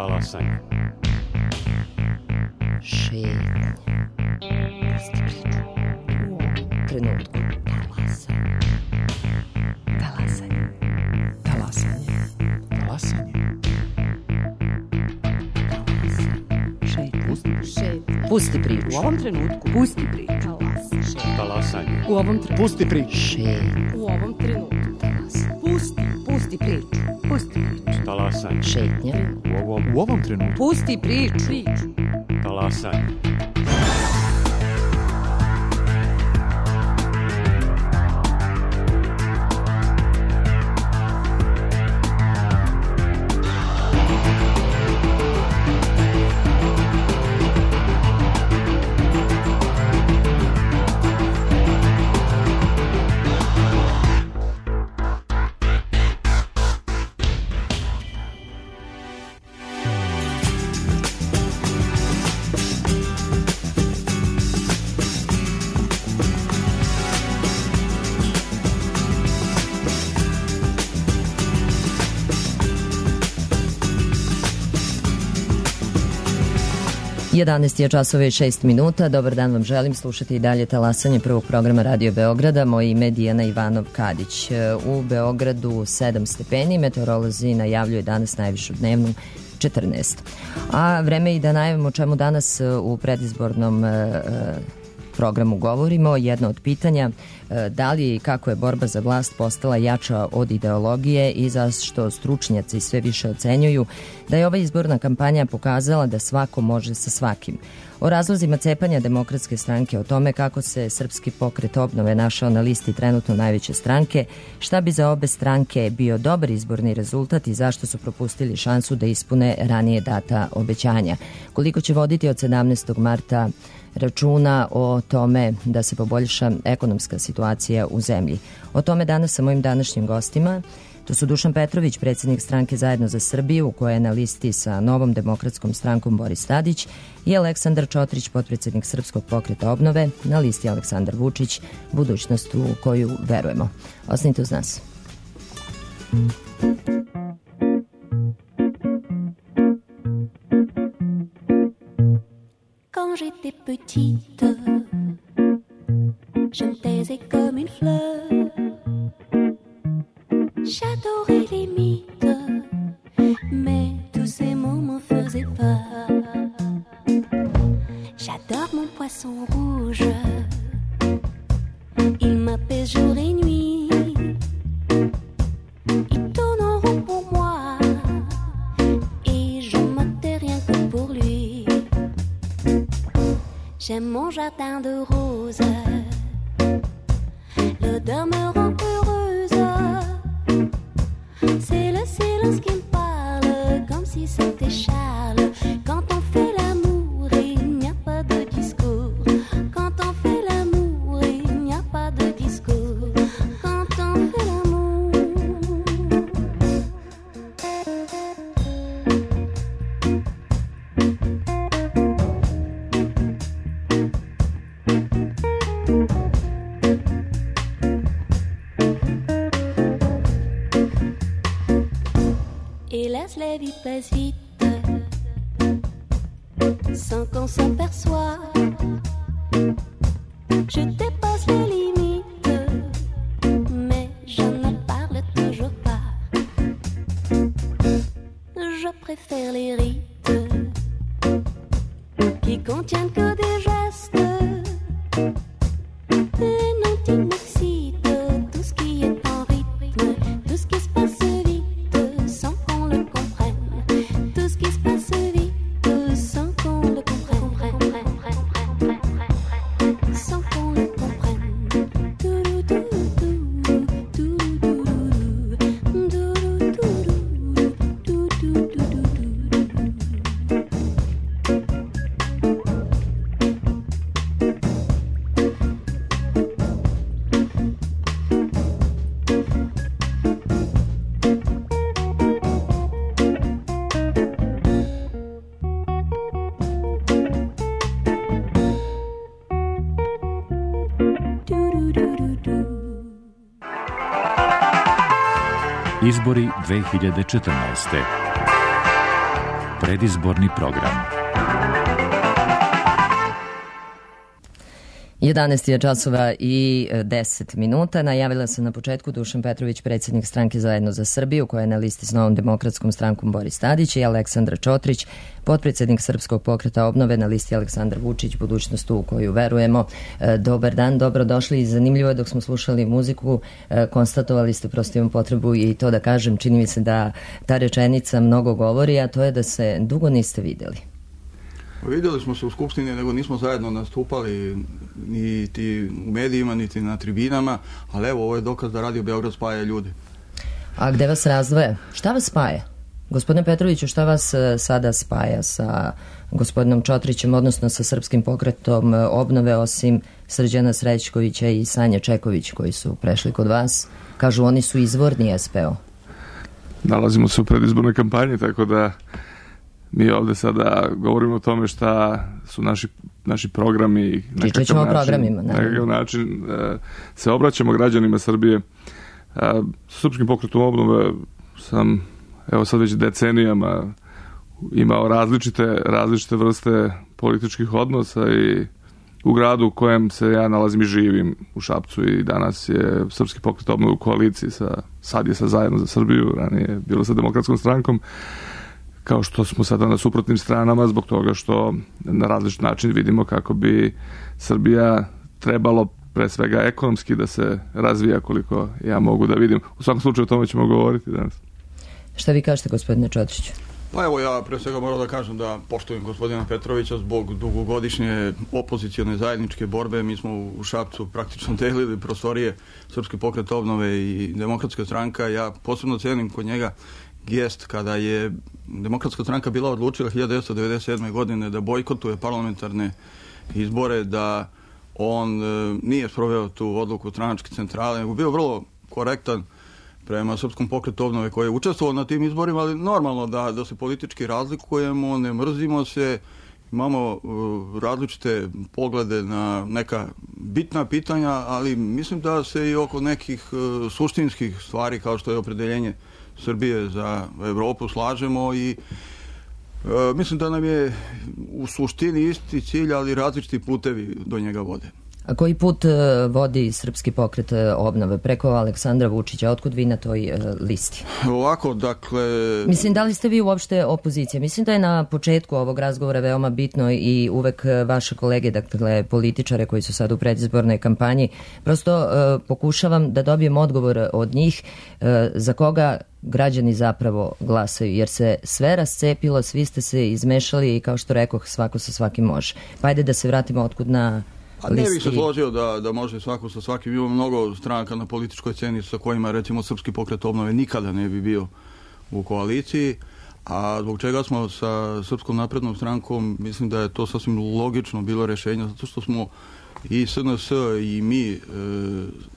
Talasanje. Šetnje. Pusti priču. U ovom trenutku. Talasanje. Talasanje. Talasanje. Šetnje. Pusti priču. U ovom trenutku. Pusti priču. Talasanje. U ovom trenutku. Pusti priču. Šetnje. U ovom trenutku. Pusti priču. Pusti priču. Talasanje. Šetnje. U ovom trenutku. Pusti priču. Talasanje. Jedanaest je časova i 6 minuta. Dobar dan vam želim. Slušati i dalje talasanje prvog programa Radio Beograda. Moje ime je Dijana Ivanov-Kadić. U Beogradu 7 stepeni. Meteorolozi najavljuju danas najvišu dnevnu 14. A vreme i da najavimo o čemu danas u predizbornom programu govorimo. Jedno od pitanja da li i kako je borba za vlast postala jača od ideologije i zašto stručnjaci sve više ocenjuju da je ova izborna kampanja pokazala da svako može sa svakim. O razlozima cepanja Demokratske stranke, o tome kako se Srpski pokret obnove našao na listi trenutno najveće stranke, šta bi za obe stranke bio dobar izborni rezultat i zašto su propustili šansu da ispune ranije data obećanja. Koliko će voditi od 17. marta računa o tome da se poboljša ekonomska situacija u zemlji. O tome danas sa mojim današnjim gostima. To su Dušan Petrović, predsjednik stranke Zajedno za Srbiju, koja je na listi sa Novom demokratskom strankom Boris Tadić, i Aleksandar Čotrić, potpredsjednik Srpskog pokreta obnove, na listi Aleksandar Vučić, budućnost u koju verujemo. Ostanite uz nas. Quand j'étais petite, je me taisais comme une fleur. J'adorais les mythes, mais tous ces mots m'en faisaient peur. J'adore mon poisson rouge, il m'apaise jour et nuit. Il tourne en rond pour moi, et je m'attais rien que pour lui. J'aime mon jardin de roses, l'odeur me rend heureuse. C'est le silence qui me parle, comme si c'était Charles. Quand on fait l'amour, il n'y a pas de discours. Quand on fait l'amour, il n'y a pas de discours. Quand on fait l'amour. Hélas, la vie passe vite, sans qu'on s'en perçoit. Je dépasse les limites, mais je ne parle toujours pas. Je préfère les rites qui contiennent que des gestes. Les noms qui m'excitent, tout ce qui est en rythme, tout ce qui se passe vite, sans qu'on le comprenne. Tout ce qui se passe vite, sans qu'on le comprenne. Sans qu'on le comprenne. Izbori 2014. Predizborni program. 11 je časova i 10 minuta. Najavila se na početku Dušan Petrović, predsjednik stranke Zajedno za Srbiju, koja je na listi s Novom demokratskom strankom Boris Tadić, i Aleksandar Čotrić, potpredsjednik Srpskog pokreta obnove, na listi Aleksandar Vučić, budućnost u koju verujemo. Dobar dan, dobrodošli. I zanimljivo je, dok smo slušali muziku, konstatovali ste, prosto imam potrebu i to da kažem, čini mi se da ta rečenica mnogo govori, a to je da se dugo niste vidjeli. Vidjeli smo se u Skupštini, nego nismo zajedno nastupali niti u medijima, niti na tribinama, ali evo, ovo je dokaz da Radio Beograd spaja ljude. A gde vas razdvoje? Šta vas spaja? Gospodine Petroviću, šta vas sada spaja sa gospodinom Čotrićem, odnosno sa Srpskim pokretom obnove, osim Srđana Srećkovića i Sanje Čeković, koji su prešli kod vas? Kažu, oni su izvorni SPO. Nalazimo se u predizbornoj kampanji, tako da mi ovde sada govorimo o tome šta su naši programi. Pričat ćemo o programima. Na nekakav način se obraćamo građanima Srbije. S Srpskim pokretom obnove sam, evo sad već decenijama, imao različite vrste političkih odnosa i u gradu u kojem se ja nalazim i živim, u Šapcu, i danas je Srpski pokret obnove u koaliciji sad je sa Zajedno za Srbiju, ranije je bilo sa Demokratskom strankom, kao što smo sada na suprotnim stranama, zbog toga što na različit način vidimo kako bi Srbija trebalo pre svega ekonomski da se razvija, koliko ja mogu da vidim. U svakom slučaju o tome ćemo govoriti danas. Šta vi kažete, gospodine Čotriću? Pa evo, ja pre svega moram da kažem da poštujem gospodina Petrovića zbog dugogodišnje opozicione zajedničke borbe. Mi smo u Šapcu praktično delili prostorije Srpski pokret obnove i Demokratska stranka. Ja posebno cenim kod njega gest kada je Demokratska stranka bila odlučila 1997. godine da bojkotuje parlamentarne izbore, da on nije sproveo tu odluku stranačke centrale, nego bio vrlo korektan prema Srpskom pokretu obnove koji je učestvovao na tim izborima, ali normalno da se politički razlikujemo, ne mrzimo se, imamo različite poglede na neka bitna pitanja, ali mislim da se i oko nekih suštinskih stvari, kao što je opredeljenje Srbije za Evropu, slažemo, i mislim da nam je u suštini isti cilj, ali različiti putevi do njega vode. A koji put vodi Srpski pokret obnove? Preko Aleksandra Vučića. Otkud vi na toj listi? Ovako, dakle... Mislim, da li ste vi uopšte opozicija? Mislim da je na početku ovog razgovora veoma bitno i uvek vaše kolege, dakle političare koji su sad u predizbornoj kampanji, prosto pokušavam da dobijem odgovor od njih za koga građani zapravo glasaju, jer se sve rascepilo, svi ste se izmešali i, kao što rekoh, svako sa svakim može. Pa ajde da se vratimo otkud na listi. Ne bih se složio da može svako sa svakim. Ima mnogo stranaka na političkoj sceni sa kojima, recimo, Srpski pokret obnove nikada ne bi bio u koaliciji, a zbog čega smo sa Srpskom naprednom strankom, mislim da je to sasvim logično bilo rešenje, zato što smo i SNS i mi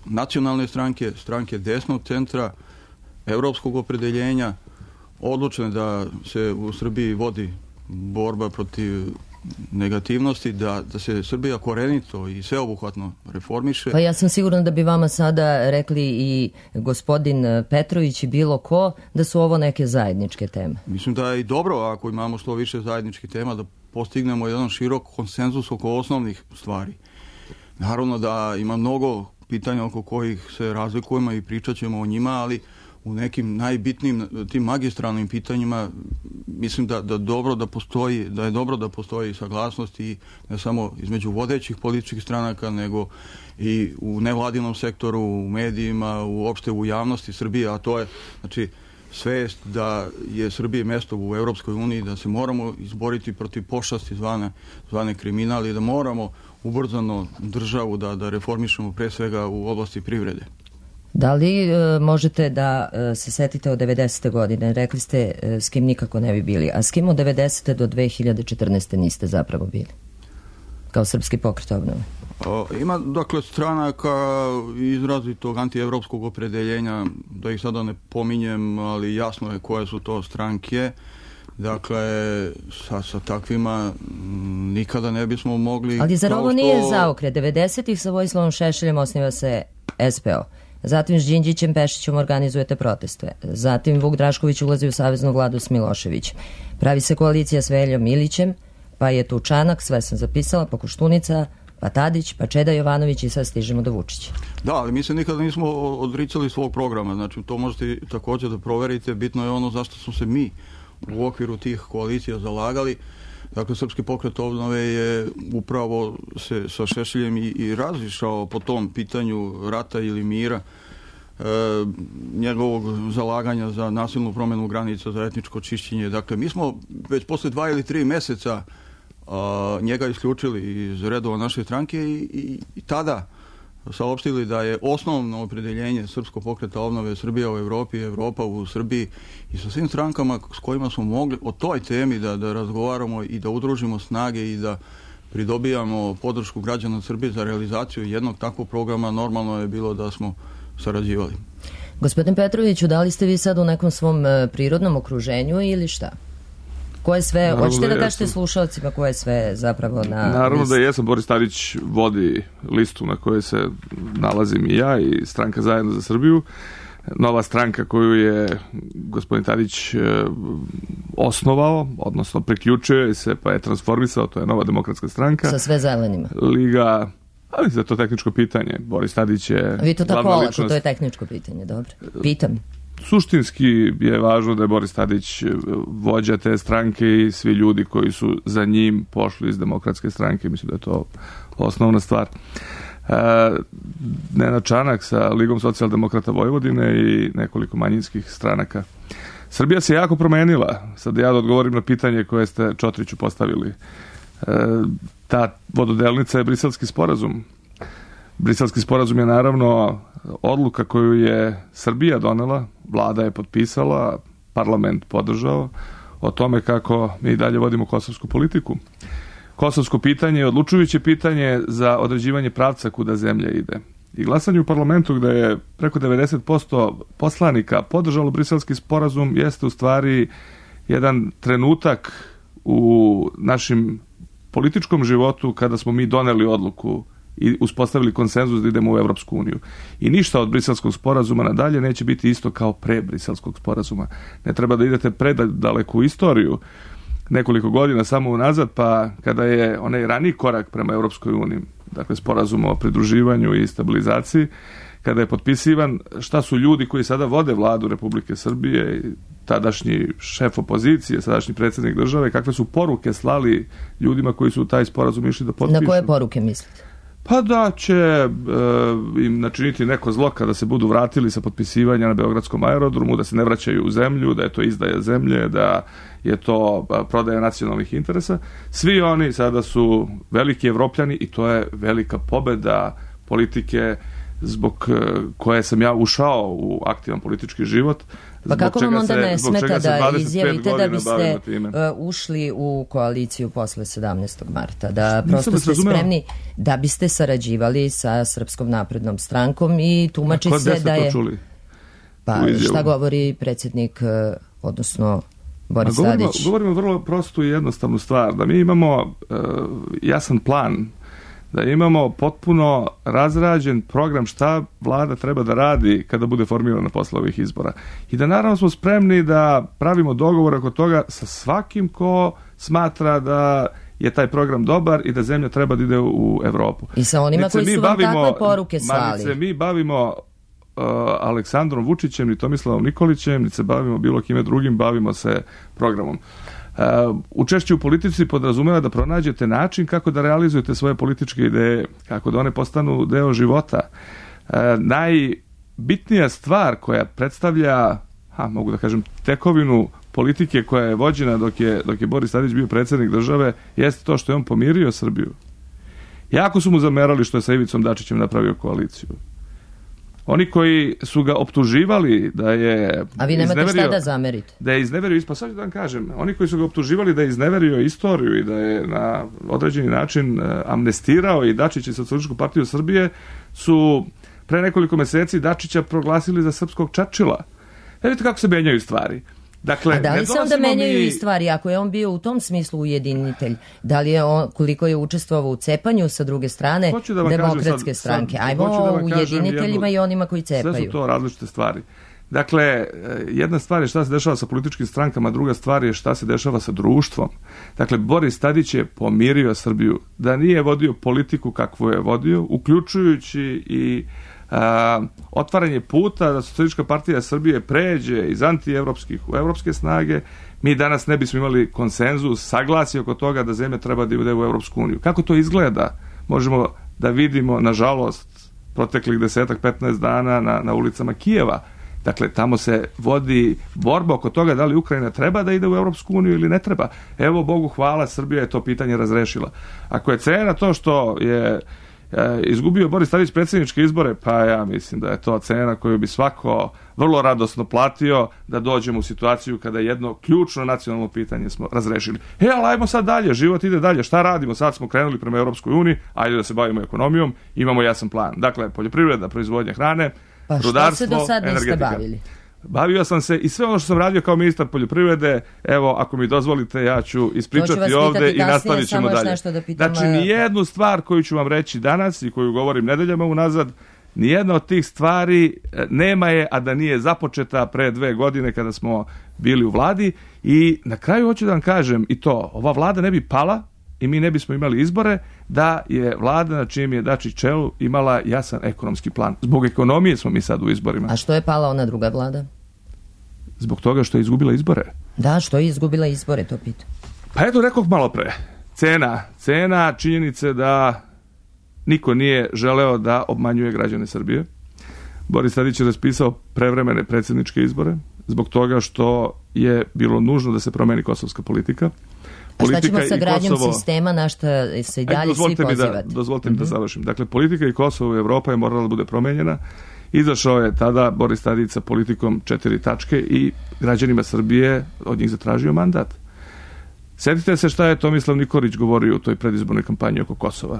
nacionalne stranke desnog centra, evropskog opredeljenja, odlučene da se u Srbiji vodi borba protiv negativnosti, da se Srbija korenito i sveobuhvatno reformiše. Pa ja sam sigurna da bi vama sada rekli i gospodin Petrović i bilo ko da su ovo neke zajedničke teme. Mislim da je i dobro ako imamo što više zajedničkih tema, da postignemo jedan širok konsenzus oko osnovnih stvari. Naravno da ima mnogo pitanja oko kojih se razlikujemo i pričat ćemo o njima, ali u nekim najbitnijim tim magistralnim pitanjima mislim da je dobro da postoji saglasnost, i ne samo između vodećih političkih stranaka, nego i u nevladinom sektoru, u medijima, uopšte u javnosti Srbije, a to je, znači, svest da je Srbije mesto u Evropskoj uniji, da se moramo izboriti protiv pošasti zvane kriminal i da moramo ubrzano državu da reformišemo pre svega u oblasti privrede. Da li možete da se setite od 90. godine? Rekli ste s kim nikako ne bi bili, a s kim od 90. do 2014. niste zapravo bili? Kao Srpski pokret obnove. Ima, dakle, stranaka izrazitog antievropskog opredeljenja, da ih sada ne pominjem, ali jasno je koje su to stranke. Dakle, sa takvima nikada ne bismo mogli... Ali zar ovo nije zaokret? 90-ih sa Vojislavom Šešeljem osniva se SPO. Zatim s Đinđićem Pešićem organizujete proteste. Zatim Vuk Drašković ulazi u saveznu vladu s Miloševićem. Pravi se koalicija s Veljom Ilićem, pa je tu Čanak, sve sam zapisala, pa Koštunica, pa Tadić, pa Čeda Jovanović i sad stižemo do Vučića. Da, ali mi se nikada nismo odricali svog programa, znači to možete također da proverite, bitno je ono zašto smo se mi u okviru tih koalicija zalagali. Dakle, Srpski pokret obnove je upravo se sa Šešeljem i razišao po tom pitanju rata ili mira, njegovog zalaganja za nasilnu promjenu granica, za etničko čišćenje. Dakle, mi smo već posle 2 ili 3 meseca njega isključili iz redova naše stranke i tada saopštili da je osnovno opredeljenje Srpskog pokreta obnove Srbija u Evropi, Evropa u Srbiji i sa svim strankama s kojima smo mogli o toj temi da razgovaramo i da udružimo snage i da pridobijamo podršku građana Srbije za realizaciju jednog takvog programa, normalno je bilo da smo sarađivali. Gospodin Petroviću, da li ste vi sad u nekom svom prirodnom okruženju ili šta? Koje sve, hoćete da kažete slušalcima koje sve zapravo na Naravno listu? da jesam, Boris Tadić vodi listu na kojoj se nalazim i ja i stranka Zajedno za Srbiju. Nova stranka koju je gospodin Tadić osnovao, odnosno priključio se pa je transformisao, to je Nova demokratska stranka. Sa sve zelenima. Liga, ali za to tehničko pitanje. Boris Tadić je Vi to tako glavna olako, ličnost. to je tehničko pitanje, dobro. Pitam. Suštinski je važno da je Boris Tadić vođa te stranke i svi ljudi koji su za njim pošli iz demokratske stranke. Mislim da je to osnovna stvar. Nenad Čanak sa Ligom socijaldemokrata Vojvodine i nekoliko manjinskih stranaka. Srbija se jako promenila. Sad ja da odgovorim na pitanje koje ste Čotriću postavili. Ta vododelnica je Briselski sporazum. Briselski sporazum je naravno odluka koju je Srbija donela, vlada je potpisala, parlament podržao, o tome kako mi dalje vodimo kosovsku politiku. Kosovsko pitanje je odlučujuće pitanje za određivanje pravca kuda zemlja ide. I glasanje u parlamentu gde je preko 90% poslanika podržalo Briselski sporazum jeste u stvari jedan trenutak u našem političkom životu kada smo mi doneli odluku i uspostavili konsenzus da idemo u Evropsku uniju. I ništa od Briselskog sporazuma nadalje neće biti isto kao pre Briselskog sporazuma. Ne treba da idete predaleku istoriju, nekoliko godina samo unazad, pa kada je onaj raniji korak prema Evropskoj uniji, dakle sporazum o pridruživanju i stabilizaciji, kada je potpisivan, šta su ljudi koji sada vode vladu Republike Srbije, tadašnji šef opozicije, sadašnji predsjednik države, kakve su poruke slali ljudima koji su taj sporazum išli da potpišu. Na koje poruke mislite? Pa da će im načiniti neko zlo kada se budu vratili sa potpisivanja na Beogradskom aerodromu, da se ne vraćaju u zemlju, da je to izdaja zemlje, da je to prodaja nacionalnih interesa. Svi oni sada su veliki Evropljani i to je velika pobeda politike zbog koje sam ja ušao u aktivan politički život. Pa kako vam onda ne smeta da izjavite da biste ušli u koaliciju posle 17. marta? Da prosto ste spremni da biste sarađivali sa Srpskom naprednom strankom i tumači se da je... Pa šta govori predsjednik, odnosno Boris Tadić? Govorimo vrlo prostu i jednostavnu stvar, da mi imamo jasan plan, da imamo potpuno razrađen program šta vlada treba da radi kada bude formirana posle ovih izbora. I da naravno smo spremni da pravimo dogovor oko toga sa svakim ko smatra da je taj program dobar i da zemlja treba da ide u Evropu. I sa onima koji su vam takve poruke slali. Mi bavimo Aleksandrom Vučićem, ni Tomislavom Nikolićem, ni se bavimo bilo kime drugim, bavimo se programom. Učešće u politici podrazumeva da pronađete način kako da realizujete svoje političke ideje, kako da one postanu deo života. Najbitnija stvar koja predstavlja, mogu da kažem, tekovinu politike koja je vođena dok je Boris Tadić bio predsjednik države, jeste to što je on pomirio Srbiju. Jako su mu zamerali što je sa Ivicom Dačićem napravio koaliciju. Oni koji su ga optuživali da je... A vi nemate šta da zamerite? Da je izneverio, sad ću da vam kažem, oni koji su ga optuživali da je izneverio istoriju i da je na određeni način amnestirao i Dačića i Socijalističku partiju Srbije, su pre nekoliko meseci Dačića proglasili za srpskog Čerčila. Vidite kako se menjaju stvari. Dakle, a da li se onda menjaju i stvari? Ako je on bio u tom smislu ujedinitelj, da li je on, koliko je učestvovao u cepanju sa druge strane demokratske stranke? Ajmo o ujediniteljima i onima koji cepaju. Sve su to različite stvari. Dakle, jedna stvar je šta se dešava sa političkim strankama, druga stvar je šta se dešava sa društvom. Dakle, Boris Tadić je pomirio Srbiju. Da nije vodio politiku kakvu je vodio, uključujući i otvaranje puta da Socijalistička partija Srbije pređe iz antievropskih u evropske snage, mi danas ne bismo imali konsenzus, saglasje oko toga da zemlja treba da ide u Evropsku uniju. Kako to izgleda? Možemo da vidimo, nažalost, proteklih 10-15 dana na ulicama Kijeva. Dakle, tamo se vodi borba oko toga da li Ukrajina treba da ide u Evropsku uniju ili ne treba. Evo, Bogu hvala, Srbija je to pitanje razrešila. Ako je cena to što je izgubio Boris Tadić predsjedničke izbore, pa ja mislim da je to cena koju bi svako vrlo radosno platio da dođemo u situaciju kada jedno ključno nacionalno pitanje smo razrešili. Ali ajmo sad dalje, život ide dalje, šta radimo? Sad smo krenuli prema Europskoj uniji, ajde da se bavimo ekonomijom, imamo jasan plan. Dakle, poljoprivreda, proizvodnja hrane, rudarstvo, što se do sad niste energetika. bavili? Bavio sam se i sve ono što sam radio kao ministar poljoprivrede, evo, ako mi dozvolite, ja ću ispričati ovde i nastavit ćemo dalje. Znači, nijednu stvar koju ću vam reći danas i koju govorim nedeljama unazad, nijedna od tih stvari nema je, a da nije započeta pre 2 godine kada smo bili u vladi. I na kraju hoću da vam kažem i to, ova vlada ne bi pala i mi ne bismo imali izbore da je vlada na čijem je Dačić čelu imala jasan ekonomski plan. Zbog ekonomije smo mi sad u izborima. A što je pala ona druga vlada? Zbog toga što je izgubila izbore. Da, što je izgubila izbore, to pitam. Pa eto, rekoh malo pre. Cena činjenice da niko nije želeo da obmanjuje građane Srbije. Boris Tadić je raspisao prevremene predsjedničke izbore zbog toga što je bilo nužno da se promeni kosovska politika. A šta ćemo sa gradnjom sistema na što se i dalje svi pozivate? Dozvolite mi da završim. Dakle, politika i Kosovo i Evropa je morala da bude promenjena. Izašao je tada Boris Tadić sa politikom 4 tačke i građanima Srbije od njih zatražio mandat. Sjetite se šta je Tomislav Nikolić govorio u toj predizbornoj kampanji oko Kosova.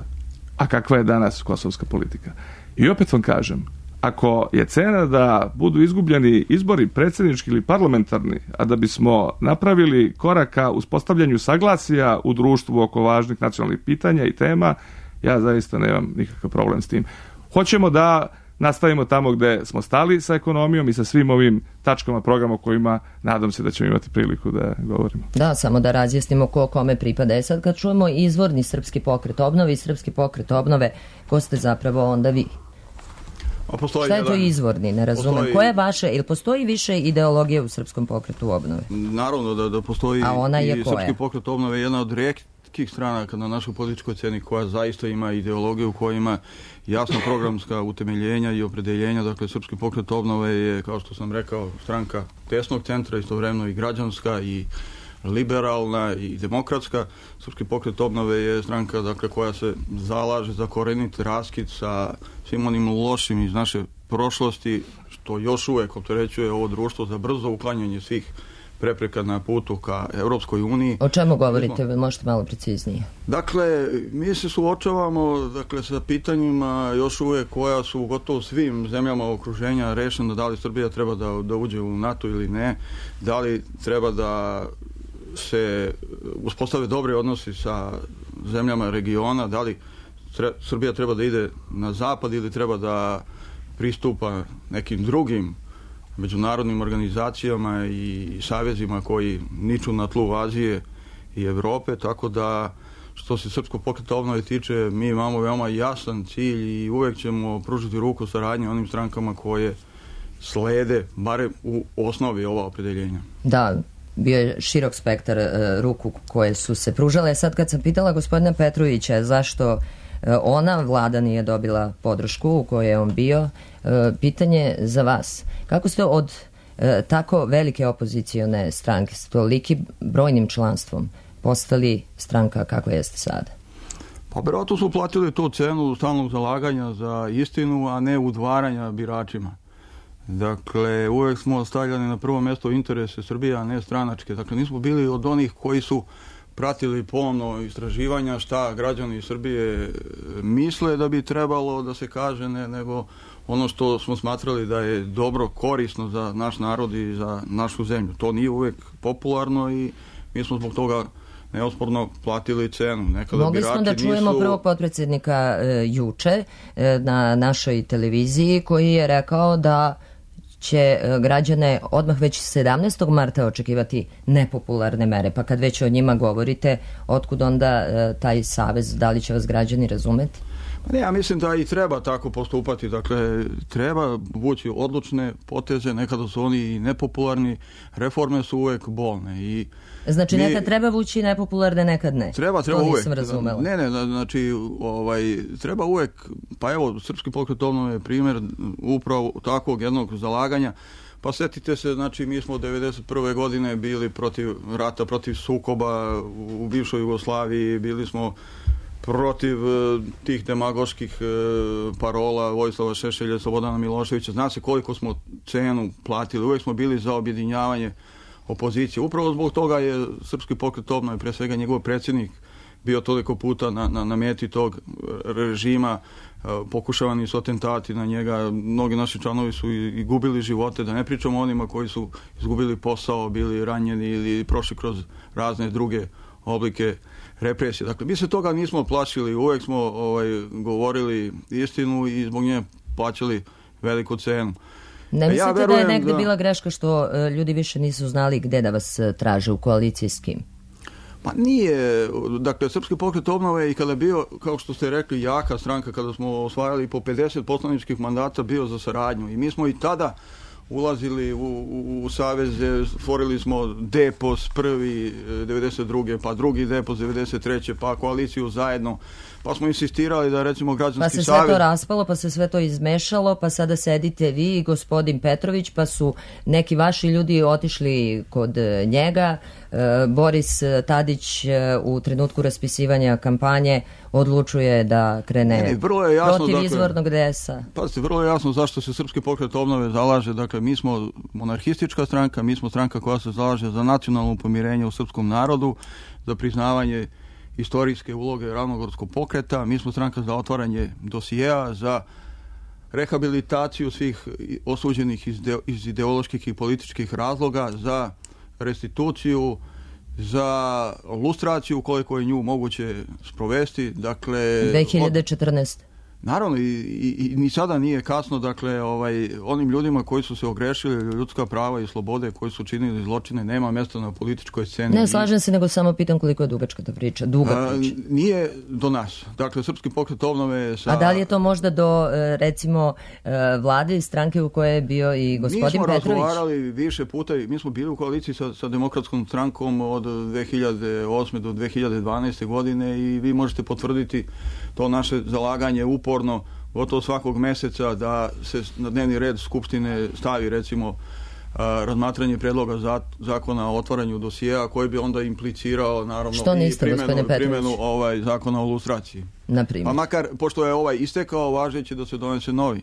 A kakva je danas kosovska politika? I opet vam kažem, ako je cena da budu izgubljeni izbori predsjednički ili parlamentarni, a da bismo napravili koraka u uspostavljanju saglasja u društvu oko važnih nacionalnih pitanja i tema, ja zaista nemam nikakav problem s tim. Hoćemo da nastavimo tamo gde smo stali sa ekonomijom i sa svim ovim tačkama programa o kojima nadam se da ćemo imati priliku da govorimo. Da, samo da razjasnimo ko kome pripada. Sad kad čujemo izvorni Srpski pokret obnove i Srpski pokret obnove, ko ste zapravo onda vi? Šta je to izvorni? Ne razumem. Koja je vaša? Ili postoji više ideologije u Srpskom pokretu obnove? Naravno da postoji. A ona je koja? Srpski pokret obnove je jedna od rijetkih stranaka na našoj političkoj sceni koja zaista ima ideologiju, koja ima jasna programska utemeljenja i opredeljenja. Dakle, Srpski pokret obnove je, kao što sam rekao, stranka desnog centra, istovremeno i građanska i liberalna i demokratska. Srpski pokret obnove je stranka, dakle, koja se zalaže za korenit raskid sa svim onim lošim iz naše prošlosti, što još uvek opterećuje ovo društvo, za brzo uklanjanje svih prepreka na putu ka Evropskoj uniji. O čemu govorite? Možete malo preciznije. Dakle, mi se suočavamo sa pitanjima još uvek koja su gotovo svim zemljama okruženja rešena, da li Srbija treba da uđe u NATO ili ne, da li treba da se uspostave dobre odnosi sa zemljama regiona, da li Srbija treba da ide na zapad ili treba da pristupa nekim drugim međunarodnim organizacijama i savezima koji niču na tlu Azije i Evrope, tako da što se Srpskog pokreta obnove tiče, mi imamo veoma jasan cilj i uvek ćemo pružiti ruku saradnje onim strankama koje slede, bare u osnovi ova opredeljenja. Da, bio je širok spektar ruku koje su se pružale. Sad kad sam pitala gospodina Petrovića zašto ona vlada nije dobila podršku u kojoj je on bio, pitanje za vas. Kako ste od tako velike opozicione stranke s tolikim brojnim članstvom postali stranka kako jeste sada? Pa vjerojatno su platili tu cenu stalnog zalaganja za istinu, a ne udvaranja biračima. Dakle, uvek smo stavljali na prvo mjesto interese Srbije, a ne stranačke. Dakle, nismo bili od onih koji su pratili pomno istraživanja šta građani Srbije misle da bi trebalo da se kaže, nego ono što smo smatrali da je dobro, korisno za naš narod i za našu zemlju. To nije uvek popularno i mi smo zbog toga neosporno platili cenu. Mogli smo da čujemo prvog potpredsjednika juče na našoj televiziji koji je rekao da će građane odmah već 17. marta očekivati nepopularne mere. Pa kad već o njima govorite, otkud onda taj savez, da li će vas građani razumeti? Ne, ja mislim da i treba tako postupati. Dakle, treba vući odlučne poteze, nekada su oni i nepopularni, reforme su uvek bolne. Znači, nekad treba vući nepopularne, nekad ne. Treba to nisam uvek. Razumela. Ne, znači, treba uvek, pa evo, Srpski pokret obnove je primjer upravo takvog jednog zalaganja. Pa setite se, znači, mi smo 1991. godine bili protiv rata, protiv sukoba u bivšoj Jugoslaviji, bili smo protiv tih demagoških parola Vojislava Šešelja, Slobodana Miloševića. Zna se koliko smo cenu platili. Uvijek smo bili za objedinjavanje opozicije. Upravo zbog toga je Srpski pokret obnove, pre svega njegov predsjednik, bio toliko puta na meti tog režima. Pokušavani su atentati na njega. Mnogi naši članovi su i gubili živote. Da ne pričamo o onima koji su izgubili posao, bili ranjeni ili prošli kroz razne druge oblike represije. Dakle, mi se toga nismo plašili, uvek smo govorili istinu i zbog nje plaćali veliku cenu. Ne mislite da je negde bila greška što ljudi više nisu znali gde da vas traže u koaliciji s kim? Pa nije. Dakle, Srpski pokret obnove i kada je bio, kao što ste rekli, jaka stranka, kada smo osvajali po 50 poslaničkih mandata, bio za saradnju. I mi smo i tada ulazili u saveze, stvorili smo Depos prvi 92. pa drugi Depos 93. pa koaliciju zajedno, pa smo insistirali da recimo građanski savez... Pa se sve to raspalo, pa se sve to izmešalo, pa sada sedite vi i gospodin Petrović, pa su neki vaši ljudi otišli kod njega. Boris Tadić u trenutku raspisivanja kampanje odlučuje da krene protiv izvornog DS-a. Pazite, vrlo je jasno zašto se Srpski pokret obnove zalaže. Dakle, mi smo monarhistička stranka, mi smo stranka koja se zalaže za nacionalno pomirenje u srpskom narodu, za priznavanje istorijske uloge Ravnogorskog pokreta, mi smo stranka za otvaranje dosijeja, za rehabilitaciju svih osuđenih iz ideoloških i političkih razloga, za restituciju, za lustraciju koliko je nju moguće sprovesti. Dakle, 2014. Naravno, i ni sada nije kasno. Dakle, onim ljudima koji su se ogrešili ljudska prava i slobode, koji su činili zločine, nema mjesta na političkoj sceni. Ne, slažem se, nego samo pitam koliko je dugačka ta priča. Nije do nas. Dakle, Srpski pokret obnove sa... A da li je to možda do, recimo, vlade i stranke u kojoj je bio i gospodin Petrović? Mi smo razgovarali više puta, mi smo bili u koaliciji sa Demokratskom strankom od 2008. do 2012. godine i vi možete potvrditi to naše zalaganje uporno, gotovo svakog meseca, da se na dnevni red Skupštine stavi, recimo, razmatranje predloga zakona o otvaranju dosijeja, koji bi onda implicirao, naravno, primjenu zakona o lustraciji. Pa makar, pošto je istekao, važeći da se donese novi.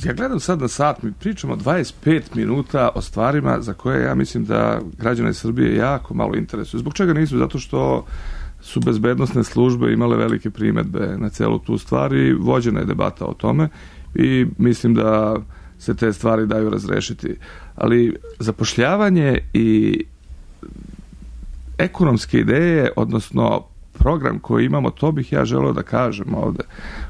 Ja gledam sad na sat, mi pričamo 25 minuta o stvarima za koje ja mislim da građane Srbije jako malo interesuju. Zbog čega nisu? Zato što su bezbednosne službe imale velike primedbe na celu tu stvar i vođena je debata o tome i mislim da se te stvari daju razrešiti. Ali zapošljavanje i ekonomske ideje, odnosno program koji imamo, to bih ja želeo da kažem ovde.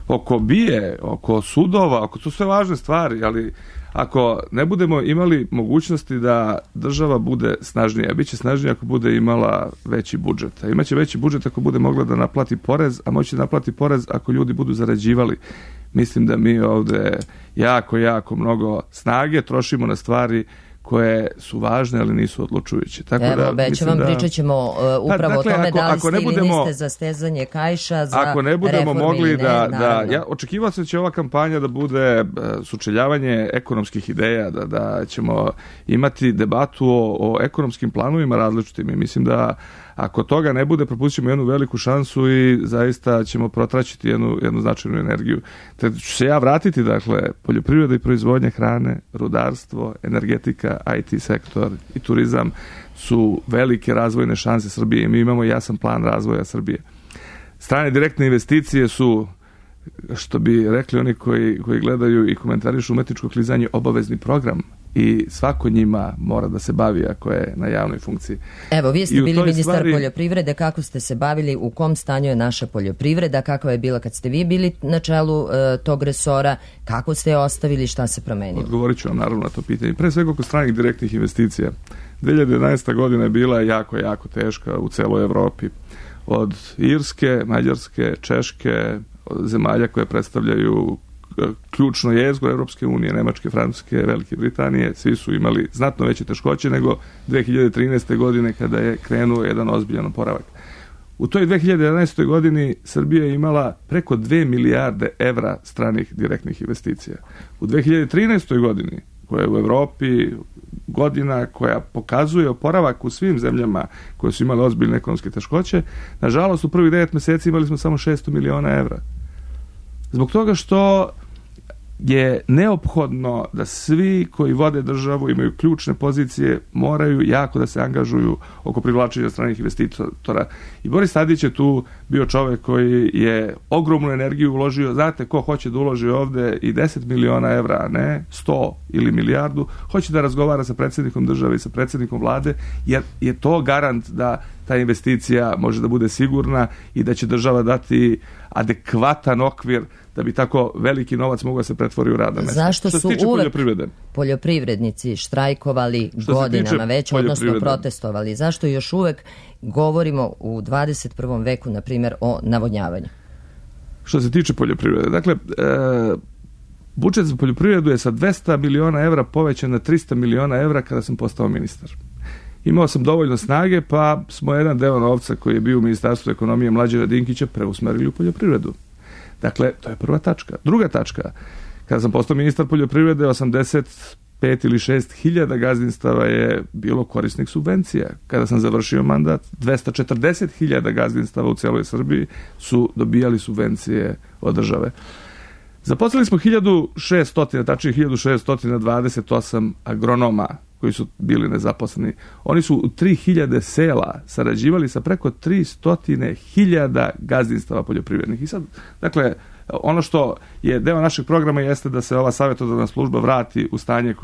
Oko BIA, oko sudova, oko to sve važne stvari, ali ako ne budemo imali mogućnosti da država bude snažnija, bit će snažnija ako bude imala veći budžet. A imaće veći budžet ako bude mogla da naplati porez, a moći da naplati porez ako ljudi budu zarađivali. Mislim da mi ovde jako mnogo snage trošimo na stvari koje su važne, ali nisu odlučujuće. Evo, obećam vam, pričat ćemo upravo o tome da li ste ili niste za stezanje kaiša, za ako ne budemo mogli ja očekivao sam da će ova kampanja da bude sučeljavanje ekonomskih ideja, da ćemo imati debatu o ekonomskim planovima različitim i mislim da ako toga ne bude, propustit ćemo jednu veliku šansu i zaista ćemo protraćiti jednu značajnu energiju. Te ću se ja vratiti, dakle, poljoprivreda i proizvodnja hrane, rudarstvo, energetika, IT sektor i turizam su velike razvojne šanse Srbije i mi imamo jasan plan razvoja Srbije. Strane direktne investicije su, što bi rekli oni koji gledaju i komentarišu umetničko klizanje, obavezni program i svako njima mora da se bavi ako je na javnoj funkciji. Evo, vi ste bili ministar poljoprivrede, kako ste se bavili, u kom stanju je naša poljoprivreda, kakva je bila kad ste vi bili na čelu tog resora, kako ste je ostavili, šta se promenilo? Odgovorit ću vam naravno na to pitanje. Pre svega oko stranih direktnih investicija. 2011. godina je bila jako, jako teška u celoj Evropi. Od Irske, Mađarske, Češke, zemalja koje predstavljaju ključno jezgro Evropske unije, Nemačke, Francuske, Velike Britanije, svi su imali znatno veće teškoće nego 2013. godine kada je krenuo jedan ozbiljan oporavak. U toj 2011. godini Srbija je imala preko 2 milijarde evra stranih direktnih investicija. U 2013. godini, koja je u Evropi godina koja pokazuje oporavak u svim zemljama koje su imale ozbiljne ekonomske teškoće, nažalost u prvih 9 meseci imali smo samo 600 miliona evra. Zbog toga što je neophodno da svi koji vode državu, imaju ključne pozicije, moraju jako da se angažuju oko privlačenja stranih investitora. I Boris Tadić je tu bio čovek koji je ogromnu energiju uložio. Znate, ko hoće da uloži ovde i 10 miliona evra, a ne 100 ili milijardu, hoće da razgovara sa predsjednikom države i sa predsjednikom vlade, jer je to garant da ta investicija može da bude sigurna i da će država dati adekvatan okvir da bi tako veliki novac mogao se pretvori u radna mesta. Zašto su uvek poljoprivrednici štrajkovali godinama već, odnosno protestovali? Zašto još uvek govorimo u 21. veku, na primjer, o navodnjavanju? Što se tiče poljoprivrede, dakle, budžet za poljoprivredu je sa 200 miliona evra povećan na 300 miliona evra kada sam postao ministar. Imao sam dovoljno snage, pa smo jedan deo novca koji je bio u Ministarstvu ekonomije Mlađana Dinkića preusmerili u poljoprivredu. Dakle, to je prva tačka. Druga tačka, kada sam postao ministar poljoprivrede, 85 ili 6 hiljada gazdinstava je bilo korisnik subvencija. Kada sam završio mandat, 240 hiljada gazdinstava u celoj Srbiji su dobijali subvencije od države. Zaposlili smo 1600, tačnije 1628 agronoma koji su bili nezaposleni. Oni su u 3000 sela sarađivali sa preko 300.000 gazdinstava poljoprivrednih. I sad, dakle, ono što je deo našeg programa jeste da se ova savjetodavna služba vrati u stanje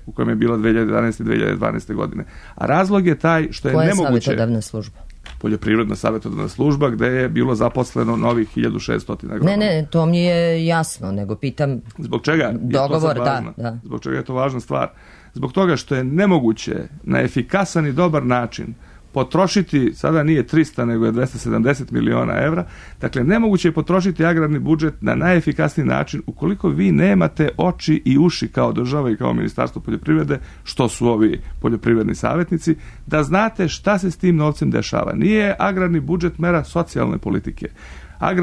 u kojem je bila 2011. i 2012. godine. A razlog je taj što je nemoguće... Koja je savjetodavna služba? Poljoprivredna savjetodavna služba, gde je bilo zaposleno novih 1600 agronoma. Ne, to mi je jasno, nego pitam... Zbog čega? Dogovor, da. Zbog čega je to važna stvar? Zbog toga što je nemoguće na efikasan i dobar način potrošiti, sada nije 300 nego je 270 miliona evra, dakle nemoguće je potrošiti agrarni budžet na najefikasniji način ukoliko vi nemate oči i uši kao država i kao Ministarstvo poljoprivrede, što su ovi poljoprivredni savjetnici, da znate šta se s tim novcem dešava. Nije agrarni budžet mera socijalne politike.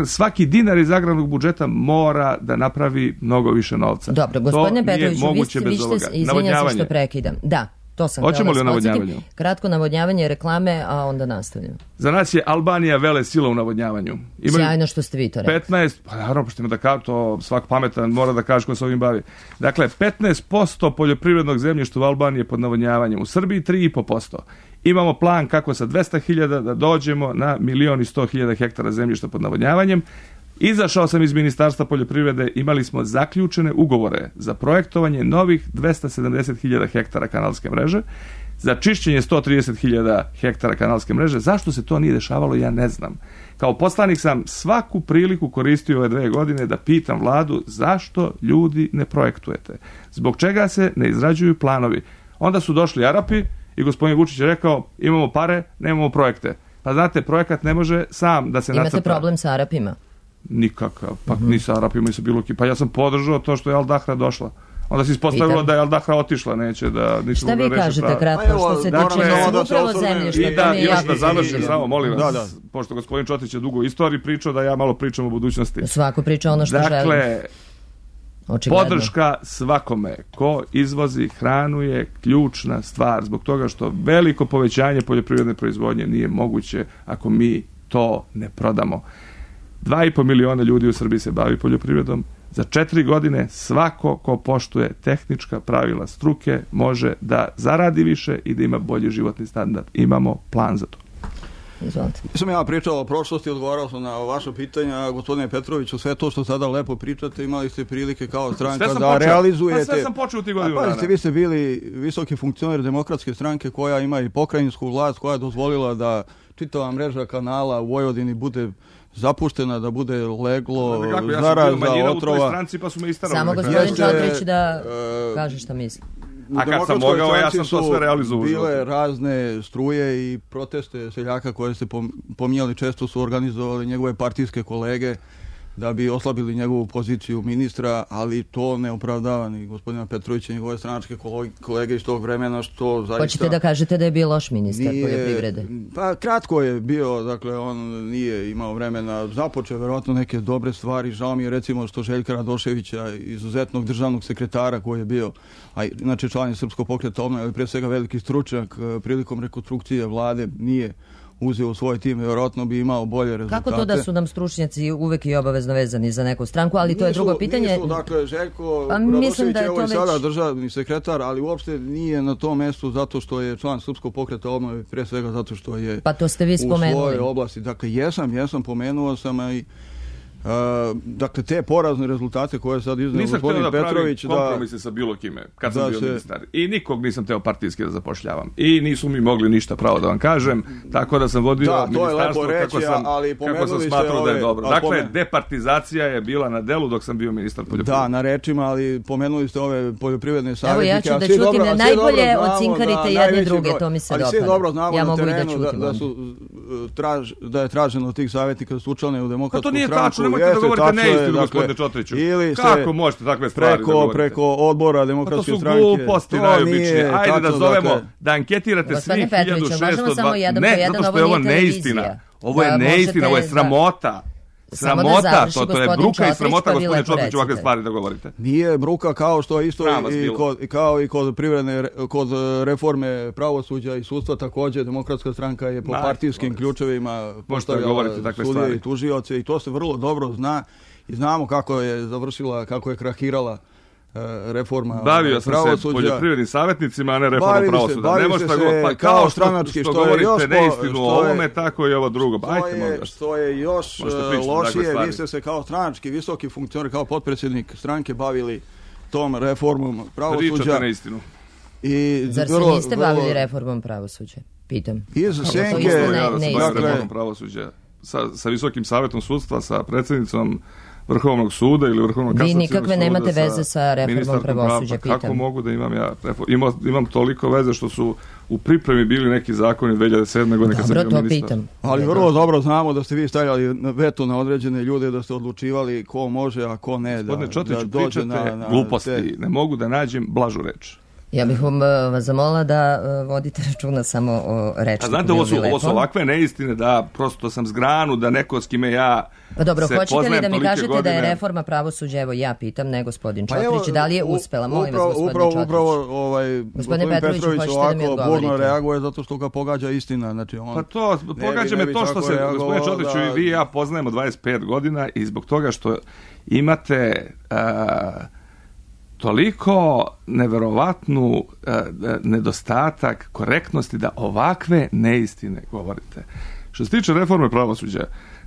Svaki dinar iz agrarnog budžeta mora da napravi mnogo više novca. Dobro, gospodine Petroviću, vi ste, izvinjam se što prekidam. Da, to sam hoćemo li o navodnjavanju? Kratko navodnjavanje, reklame, a onda nastavljamo. Za nas je Albanija vele sila u navodnjavanju. Sjajno što ste vi to rekli. 15, pa naravno, pošto ima da kao to svak pametan mora da kaže ko se ovim bavi. Dakle, 15% poljoprivrednog zemljišta u Albaniji je pod navodnjavanjem. U Srbiji 3,5%. Imamo plan kako sa 200.000 da dođemo na 1.100.000 hektara zemljišta pod navodnjavanjem. Izašao sam iz Ministarstva poljoprivrede, imali smo zaključene ugovore za projektovanje novih 270.000 hektara kanalske mreže, za čišćenje 130.000 hektara kanalske mreže. Zašto se to nije dešavalo, ja ne znam. Kao poslanik sam svaku priliku koristio ove 2 godine da pitam vladu zašto ljudi ne projektujete. Zbog čega se ne izrađuju planovi. Onda su došli Arapi i gospodin Vučić je rekao imamo pare, nemamo projekte. Pa znate, projekat ne može sam da se nacrta. Imate problem sa Arapima? Nikakav, pa ni sa Arapima i sa bilo kim. Pa ja sam podržao to što je Al Dahra došla. Onda se ispostavilo da je Al Dahra otišla, neće da... Šta vi kažete kratko što se tiče upravo zemljišta? Još da završim, samo molim vas, pošto gospodin Čotić je dugo u istoriji pričao, da ja malo pričam o budućnosti. Svako priča ono što želi. Dakle, podrška svakome ko izvozi hranu je ključna stvar, zbog toga što veliko povećanje poljoprivredne proizvodnje nije moguće ako mi to ne prodamo. 2,5 miliona ljudi u Srbiji se bavi poljoprivredom, za 4 godine svako ko poštuje tehnička pravila struke može da zaradi više i da ima bolji životni standard. Imamo plan za to. Izvolite. Nisam ja pričao o prošlosti, odgovarao sam na vaše pitanja, gospodine Petroviću, sve to što sada lepo pričate, imali ste prilike kao stranka da realizujete. Pa sve sam počeo u tih godinu dana. Vi ste bili visoki funkcioner Demokratske stranke koja ima i pokrajinsku vlast, koja je dozvolila da čitava mreža kanala u Vojvodini bude zapuštena, da bude leglo, zaraza, otrova. Samo gospodin Čotrić da kaže šta misli. A kad sam mogao, ja sam to sve realizovao. Bile razne struje i proteste seljaka koje ste pominjali, često su organizovali njegove partijske kolege da bi oslabili njegovu poziciju ministra, ali to ne opravdava ni gospodina Petrovića i njegove stranačke kolege iz tog vremena, što zaista... Hoćete da kažete da je bio loš ministar poljoprivrede? Pa kratko je bio, dakle on nije imao vremena, započeo verovatno neke dobre stvari, žao mi je recimo što Željka Radoševića, izuzetnog državnog sekretara koji je bio, a inače član je Srpskog pokreta obnove, ali prije svega veliki stručnjak, prilikom rekonstrukcije vlade nije uzeo u svoj tim, vjerojatno bi imao bolje rezultate. Kako to da su nam stručnjaci uvek i obavezno vezani za neku stranku, ali to je drugo pitanje. Nisu, dakle, Željko Radošević je ovo i sada državni sekretar, ali uopšte nije na tom mestu zato što je član Srpskog pokreta obnove, pre svega zato što je pa to ste vi spomenuli. U svojoj oblasti. Dakle, jesam, pomenuo sam i dakle, te porazne rezultate koje je sad izneo gospodin Petrović... Nisam htio da pravim kompromise sa bilo kime, kad sam bio ministar. I nikog nisam teo partijski da zapošljavam. I nisu mi mogli ništa pravo da vam kažem, tako da sam vodio ministarstvo kako sam smatrao da je dobro. Dakle, departizacija je bila na delu dok sam bio ministar poljoprivrede. Da, na rečima, ali pomenuli ste ove poljoprivredne savjetnike. Evo, ja ću da čutim, najbolje ocinkarite jedne druge, to mi se dopada. Ali svi dobro znamo na terenu da je traženo od tih savjetnika da su učlane u Demokratsku stranku. Nemojte da govorite neistinu, gospodine Čotriću. Kako možete takve stvari da govorite? Preko odbora Demokratske stranke. To su gluposti najobičnije. Ajde da zovemo, da anketirate svih 1602... Ne, zato što je ovo neistina. Ovo je neistina, ovo je sramota. Sramota, to je bruka i sramota, gospodine Čotriću, ovakve stvari da govorite. Nije bruka kao što je isto i kod reforme pravosuđa i sudstva, također Demokratska stranka je po partijskim ključevima postavljala sudije i tužioce i to se vrlo dobro zna i znamo kako je završila, kako je krahirala reforma pravosuđa. Bavio sam se poljoprivrednim savjetnicima, a ne reformom pravosuđa. Ne možete govoriti, kao stranački, što govorite neistinu o ovome, tako i ovo drugo. Što je još lošije, vi ste se kao stranački visoki funkcioner, kao potpredsjednik stranke bavili tom reformom pravosuđa. Pričate neistinu. Zar se niste bavili reformom pravosuđa? Pitam. Iz senke, reformom pravosuđa. Sa Visokim savjetom sudstva, sa predsjednicom Vrhovnog suda ili Vrhovnog kasacionog suda. Vi nikakve nemate veze sa reformom pravosuđa, pitam. Kako mogu da imam ja? Imam toliko veze što su u pripremi bili neki zakoni 2007. godine kad sam bio ministar. Dobro, to pitam. Ali vrlo dobro znamo da ste vi stavljali veto na određene ljude, da ste odlučivali ko može, a ko ne. Gospodine Čotriću, pričate gluposti. Ne mogu da nađem blažu reč. Ja bih vas zamolila da vodite računa samo o rečniku. A znate, ovo su ovakve neistine da prosto sam zgranu, da neko s kime ja pa dobro, hoćete li da mi kažete godine... da je reforma pravosuđa, evo ja pitam, ne gospodin Čotrić, da li je uspela? Molim vas, gospodin Čotrić. Upravo gospodin Petrović ovako burno reaguje zato što ga pogađa istina. Znači, pa to, pogađa me to što se, gospodin Čotriću, i vi i ja poznajemo 25 godina i zbog toga što imate... toliko neverovatnu nedostatak korektnosti da ovakve neistine govorite. Što se tiče reforme pravosuđa,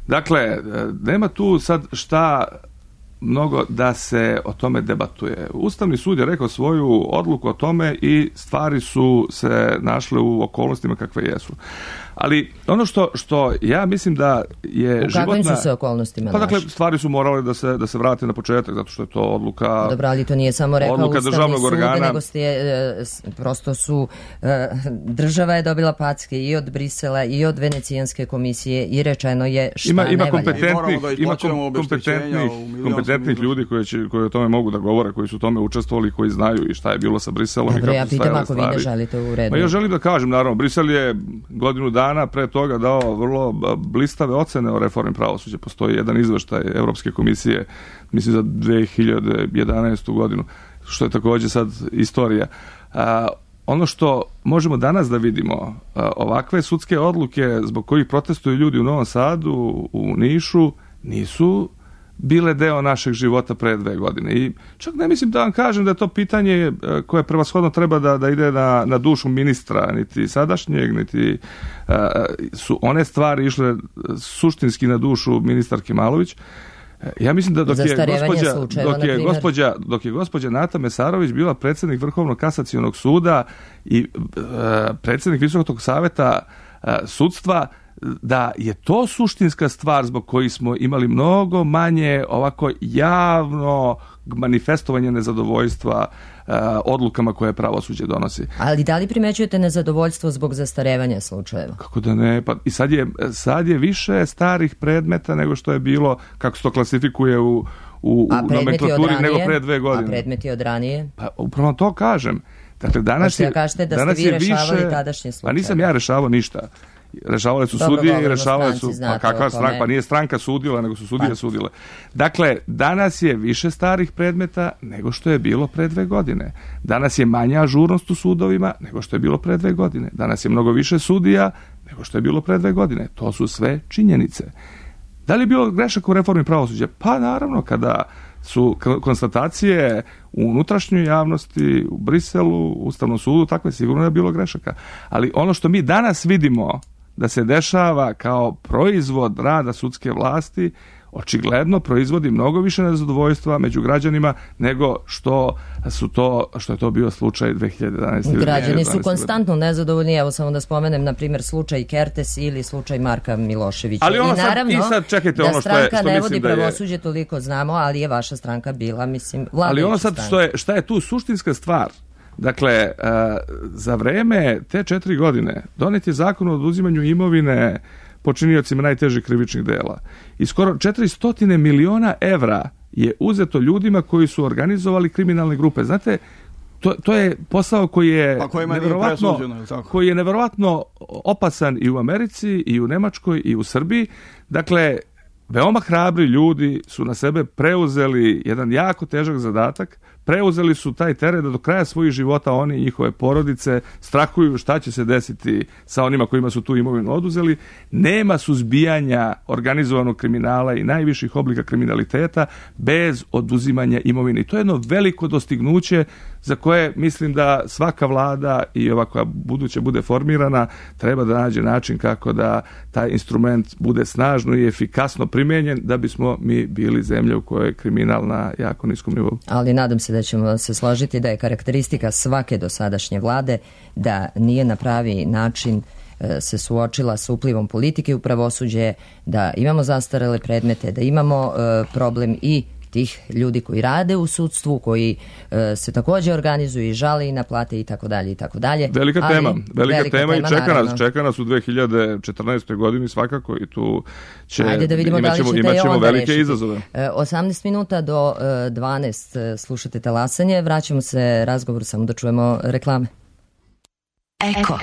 dakle, nema tu sad šta mnogo da se o tome debatuje. Ustavni sud je rekao svoju odluku o tome i stvari su se našle u okolnostima kakve jesu. Ali ono što ja mislim da je životna... U kakvim su se okolnostima našle? Pa dakle, stvari su morale da se vrate na početak, zato što je to odluka... Dobro, ali to nije samo rekao Ustavni sud, nego prosto su... država je dobila packe i od Brisela i od Venecijanske komisije i rečeno je šta ne valja. Kompetentnih ljudi koji o tome mogu da govore, koji su u tome učestvovali, koji znaju i šta je bilo sa Briselom. Dobro, ja pitam ako vi ne želite u redu. Ja želim da kažem, naravno, Brisel je godinu dana pre toga dao vrlo blistave ocene o reformi pravosuđa. Postoji jedan izveštaj Evropske komisije, mislim za 2011. godinu, što je također sad istorija. Ono što možemo danas da vidimo, ovakve sudske odluke zbog kojih protestuju ljudi u Novom Sadu, u Nišu, nisu bile deo našeg života pre 2 godine. I čak ne mislim da vam kažem da je to pitanje koje prevashodno treba da ide na dušu ministra, niti sadašnjeg, niti su one stvari išle suštinski na dušu ministarke Malović. Ja mislim da dok je gospođa Nata Mesarović bila predsjednik Vrhovnog kasacionog suda i predsjednik Visokog saveta sudstva, da je to suštinska stvar zbog kojih smo imali mnogo manje ovako javno manifestovanje nezadovoljstva odlukama koje pravosuđe donosi. Ali da li primećujete nezadovoljstvo zbog zastarevanja slučajeva? Kako da ne? Pa i sad je više starih predmeta nego što je bilo, kako se to klasifikuje u nomenklaturi, nego pre 2 godine. A predmeti od ranije? Pa upravo to kažem. Dakle, danas je vi rešavali tadašnje slučaje. Pa nisam ja rešavao ništa. Rešavale su sudije i rešavale su... Pa kakva stranka? Pa nije stranka sudila, nego su sudije sudile. Dakle, danas je više starih predmeta nego što je bilo pre 2 godine. Danas je manja ažurnost u sudovima nego što je bilo pre 2 godine. Danas je mnogo više sudija nego što je bilo pre 2 godine. To su sve činjenice. Da li je bilo grešaka u reformi pravosuđa? Pa naravno, kada su konstatacije u unutrašnjoj javnosti, u Briselu, u Ustavnom sudu, takve sigurno je bilo grešaka. Ali ono što mi danas vidimo da se dešava kao proizvod rada sudske vlasti, očigledno proizvodi mnogo više nezadovoljstva među građanima nego što je to bio slučaj 2011. Građani su konstantno nezadovoljni, evo samo da spomenem na primjer slučaj Kertes ili slučaj Marka Miloševića. Ali ono čekajte, ono što stranka ne vodi pravosuđe, toliko znamo, ali je vaša stranka bila, mislim, vladajuća ali ono sad šta je tu suštinska stvar? Dakle, za vreme te 4 godine donet je zakon o oduzimanju imovine počiniocima najtežih krivičnih dela. I skoro 400 miliona evra je uzeto ljudima koji su organizovali kriminalne grupe. Znate, to je posao koji je neverovatno opasan i u Americi, i u Nemačkoj, i u Srbiji. Dakle, veoma hrabri ljudi su na sebe preuzeli jedan jako težak zadatak, preuzeli su taj teret da do kraja svojih života oni i njihove porodice strahuju šta će se desiti sa onima kojima su tu imovinu oduzeli. Nema suzbijanja organizovanog kriminala i najviših oblika kriminaliteta bez oduzimanja imovine. I to je jedno veliko dostignuće za koje mislim da svaka vlada i ova koja buduće bude formirana treba da nađe način kako da taj instrument bude snažno i efikasno primenjen da bismo mi bili zemlja u kojoj je kriminal na jako niskom nivou. Ali nadam se da ćemo se složiti da je karakteristika svake dosadašnje vlade da nije na pravi način se suočila s uplivom politike u pravosuđe, da imamo zastarele predmete, da imamo problem i tih ljudi koji rade u sudstvu, koji se također organizuju i žale i naplate i tako dalje i tako dalje. Velika tema i čeka nas u 2014. godini svakako i tu imaćemo velike izazove. 18 minuta do 12 slušate Talasanje, vraćamo se razgovor, samo da čujemo reklame. Eko.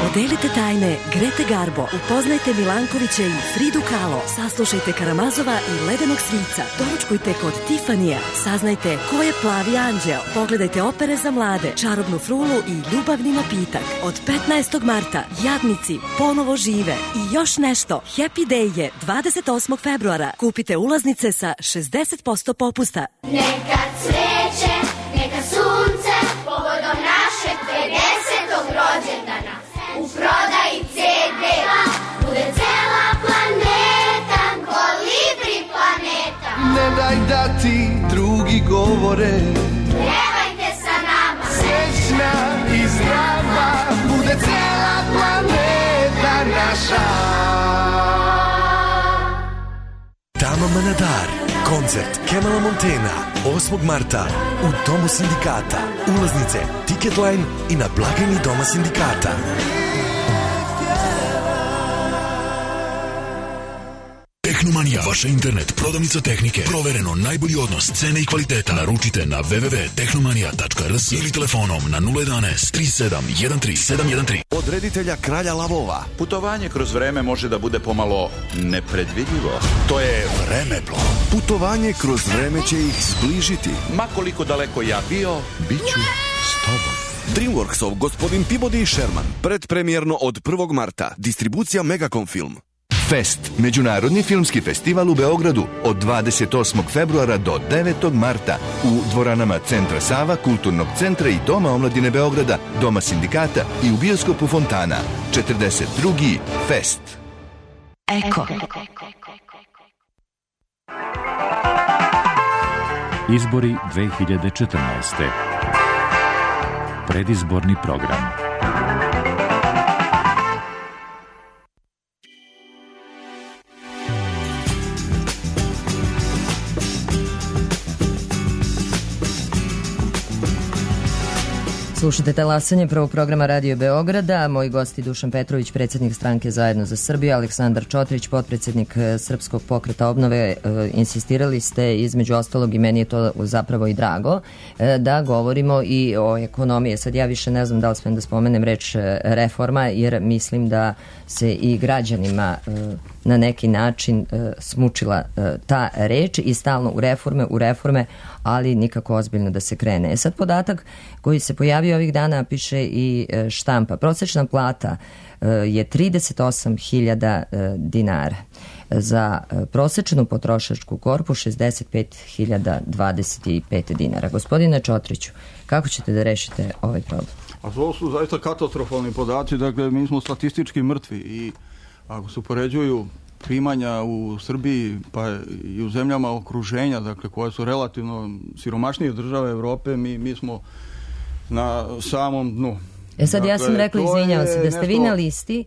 Podelite tajne Grete Garbo, upoznajte Milankovića i Fridu Kahlo, saslušajte Karamazova i Ledenog svica, doručkujte kod Tifanija, saznajte ko je Plavi anđeo, pogledajte opere za mlade, Čarobnu frulu i Ljubavni napitak. Od 15. marta Jadnici ponovo žive i još nešto. Happy Day je 28. februara. Kupite ulaznice sa 60% popusta. Neka cveće, neka sunce, povodom našeg 50. rođendana. U prodaji CD bude cela planeta, Kolibri planeta. Ne daj da ti drugi govore, pjevajte sa nama. Srećna i zdrava bude cela planeta naša. Tama Manadar, koncert Kemala Montena 8. marta u Domu sindikata. Ulaznice Ticketline i na blagajni Doma sindikata. Tehnomanija, vaša internet prodavnica tehnike. Provereno najbolji odnos cene i kvaliteta. Naručite na www.tehnomanija.rs ili telefonom na 011 37 13 713. Od reditelja Kralja lavova. Putovanje kroz vreme može da bude pomalo nepredvidljivo. To je Vremeplov. Putovanje kroz vreme će ih zbližiti. Ma koliko daleko ja bio, bit ću s tobom. Dreamworksov Gospodin Peabody i Sherman. Predpremjerno od 1. marta. Distribucija Megacom Film. Fest, međunarodni filmski festival u Beogradu od 28. februara do 9. marta u dvoranama Centra Sava, Kulturnog centra i Doma omladine Beograda, Doma sindikata i u bioskopu Fontana. 42. Fest. Eko. Izbori 2014. Predizborni program. Slušajte talasanje prvog programa Radio Beograda. Moji gosti Dušan Petrović, predsjednik stranke Zajedno za Srbiju, Aleksandar Čotrić, potpredsjednik Srpskog pokreta obnove. Insistirali ste, između ostalog, i meni je to zapravo i drago, da govorimo i o ekonomiji. Sad ja više ne znam da li smijem da spomenem reč reforma, jer mislim da se i građanima na neki način smučila ta reč i stalno u reforme, ali nikako ozbiljno da se krene. Sad podatak koji se pojavio ovih dana, piše i štampa. Prosječna plata je 38.000 dinara. Za prosječnu potrošačku korpu 65.025 dinara. Gospodine Čotriću, kako ćete da rešite ovaj problem? A to su zaista katastrofalni podaci, dakle mi smo statistički mrtvi i ako se upoređuju primanja u Srbiji pa i u zemljama okruženja, dakle koje su relativno siromašnije države Evrope, mi smo na samom dnu. Sad dakle, ja sam rekla, izvinjavam se, da ste vi na listi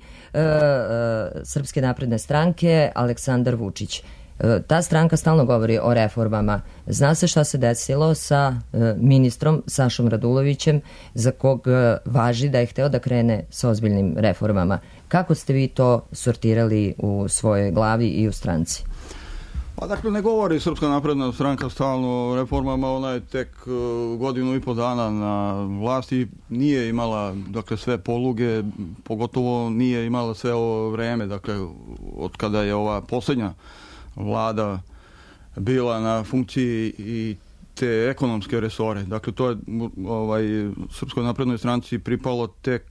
Srpske napredne stranke Aleksandar Vučić. Ta stranka stalno govori o reformama. Zna se šta se desilo sa ministrom Sašom Radulovićem, za kog važi da je hteo da krene sa ozbiljnim reformama. Kako ste vi to sortirali u svojoj glavi i u stranci? Pa dakle, ne govori Srpska napredna stranka stalno o reformama, ona je tek godinu i po dana na vlasti, nije imala dakle sve poluge, pogotovo nije imala sve ovo vreme, dakle od kada je ova posljednja vlada bila na funkciji i te ekonomske resore. Dakle, to je Srpskoj naprednoj stranci pripalo tek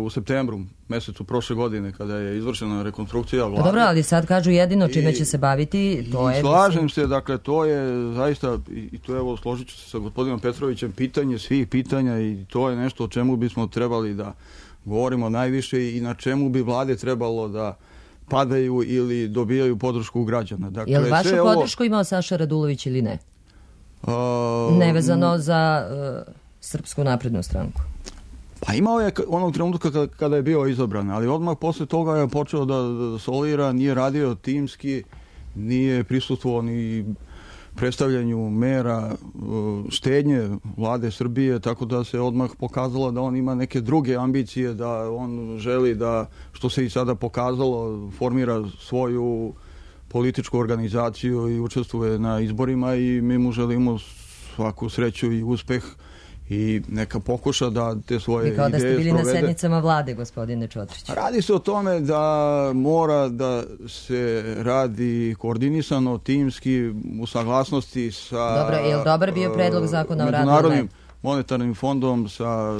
u septembru mesecu prošle godine, kada je izvršena rekonstrukcija vlade. Dobro, ali sad kažu jedino čime će se baviti, to je... Slažem se, dakle, to je zaista, i to je, evo, složit ću se sa gospodinom Petrovićem, pitanje svih pitanja i to je nešto o čemu bismo trebali da govorimo najviše i na čemu bi vlade trebalo da padaju ili dobijaju podršku građana. Dakle, je li vašu podršku imao Saša Radulović ili ne? Nevezano za Srpsku naprednu stranku. Pa imao je onog trenutka kada je bio izabran, ali odmah posle toga je počeo da solira, nije radio timski, nije prisustvovao ni predstavljanju mera štednje vlade Srbije, tako da se odmah pokazalo da on ima neke druge ambicije, da on želi da, što se i sada pokazalo, formira svoju političku organizaciju i učestvuje na izborima i mi mu želimo svaku sreću i uspeh i neka pokuša da te svoje ideje sprovede. I kao da ste bili na sednicama vlade, gospodine Čotrić. Radi se o tome da mora da se radi koordinisano, timski, u saglasnosti sa... Dobro, je li dobar bio predlog zakona o radu? Međunarodnim monetarnim fondom, sa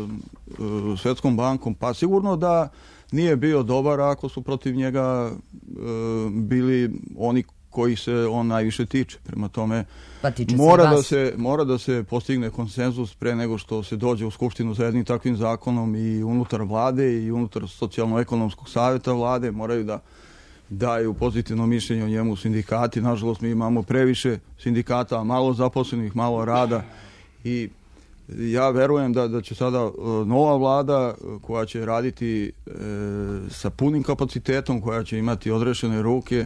Svetskom bankom, pa sigurno da nije bio dobar ako su protiv njega bili oni koji se on najviše tiče. Prema tome, mora da se postigne konsenzus pre nego što se dođe u Skupštinu sa jednim takvim zakonom i unutar vlade i unutar socijalno-ekonomskog savjeta vlade moraju da daju pozitivno mišljenje o njemu sindikati. Nažalost, mi imamo previše sindikata, malo zaposlenih, malo rada i ja verujem da će sada nova vlada koja će raditi sa punim kapacitetom, koja će imati odrešene ruke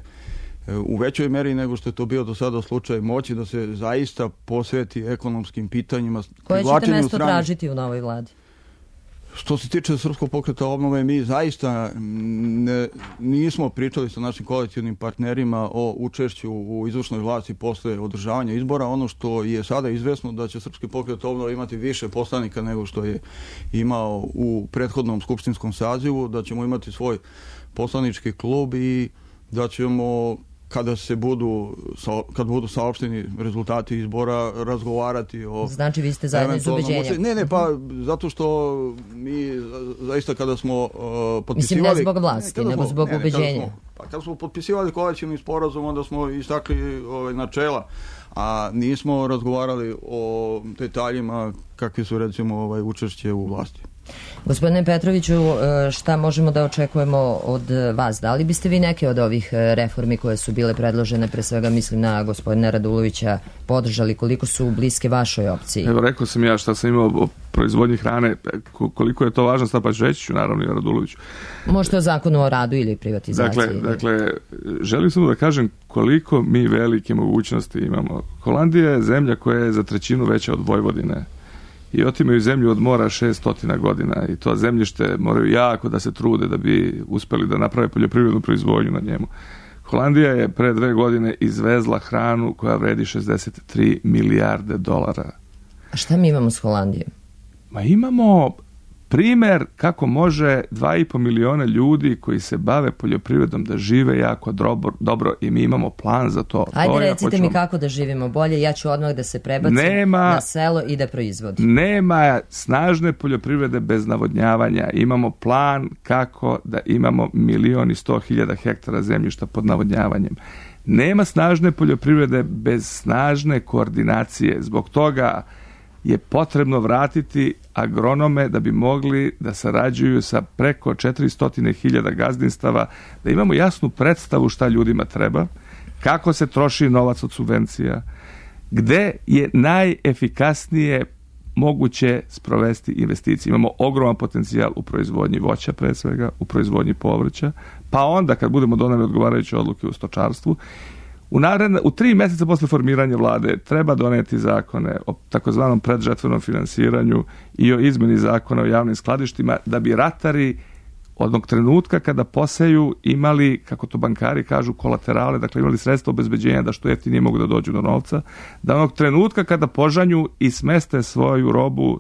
u većoj meri nego što je to bio do sada slučaj, moći da se zaista posveti ekonomskim pitanjima. Koje ćete mesto tražiti u novoj vladi? Što se tiče Srpskog pokreta obnove, mi zaista nismo pričali sa našim koalicijnim partnerima o učešću u izvršnoj vlasti posle održavanja izbora. Ono što je sada izvesno da će Srpski pokret obnove imati više poslanika nego što je imao u prethodnom skupštinskom sazivu, da ćemo imati svoj poslanički klub i da ćemo kad budu saopšteni rezultati izbora, razgovarati o... Znači vi ste zajedno iz ubeđenja. Ne, pa zato što mi zaista kada smo potpisivali... Mislim ne zbog vlasti, nego zbog ubeđenja. Kada smo potpisivali koalicijni sporazum, onda smo istakli načela, a nismo razgovarali o detaljima kakvi su recimo učešće u vlasti. Gospodine Petroviću, šta možemo da očekujemo od vas? Da li biste vi neke od ovih reformi koje su bile predložene, pre svega mislim na gospodina Radulovića, podržali, koliko su bliske vašoj opciji? Evo, rekao sam ja šta sam imao o proizvodnji hrane, koliko je to važno, sad pa ću reći ću naravno i Raduloviću. Možete o zakonu o radu ili privatizaciji? Dakle, želim samo da kažem koliko mi velike mogućnosti imamo. Holandija je zemlja koja je za 1/3 veća od Vojvodine. I otimaju zemlju od mora 600 godina i to zemljište moraju jako da se trude da bi uspeli da naprave poljoprivrednu proizvodnju na njemu. Holandija je pre 2 godine izvezla hranu koja vredi 63 milijarde dolara. A šta mi imamo s Holandijom? Ma imamo primer kako može 2,5 miliona ljudi koji se bave poljoprivredom da žive jako dobro i mi imamo plan za to. Ajde recite mi kako da živimo bolje, ja ću odmah da se prebacim na selo i da proizvodim. Nema snažne poljoprivrede bez navodnjavanja. Imamo plan kako da imamo 1.100.000 hektara zemljišta pod navodnjavanjem. Nema snažne poljoprivrede bez snažne koordinacije. Zbog toga je potrebno vratiti agronome da bi mogli da sarađuju sa preko 400.000 gazdinstava, da imamo jasnu predstavu šta ljudima treba, kako se troši novac od subvencija, gde je najefikasnije moguće sprovesti investicije. Imamo ogroman potencijal u proizvodnji voća, pre svega, u proizvodnji povrća, pa onda kad budemo doneli odgovarajuće odluke u stočarstvu, u 3 mjeseca posle formiranja vlade treba doneti zakone o takozvanom predžetvenom finansiranju i o izmeni zakona o javnim skladištima da bi ratari odnog trenutka kada poseju imali, kako to bankari kažu, kolaterale, dakle imali sredstva obezbeđenja da što jeftinije mogu da dođu do novca, da onog trenutka kada požanju i smeste svoju robu,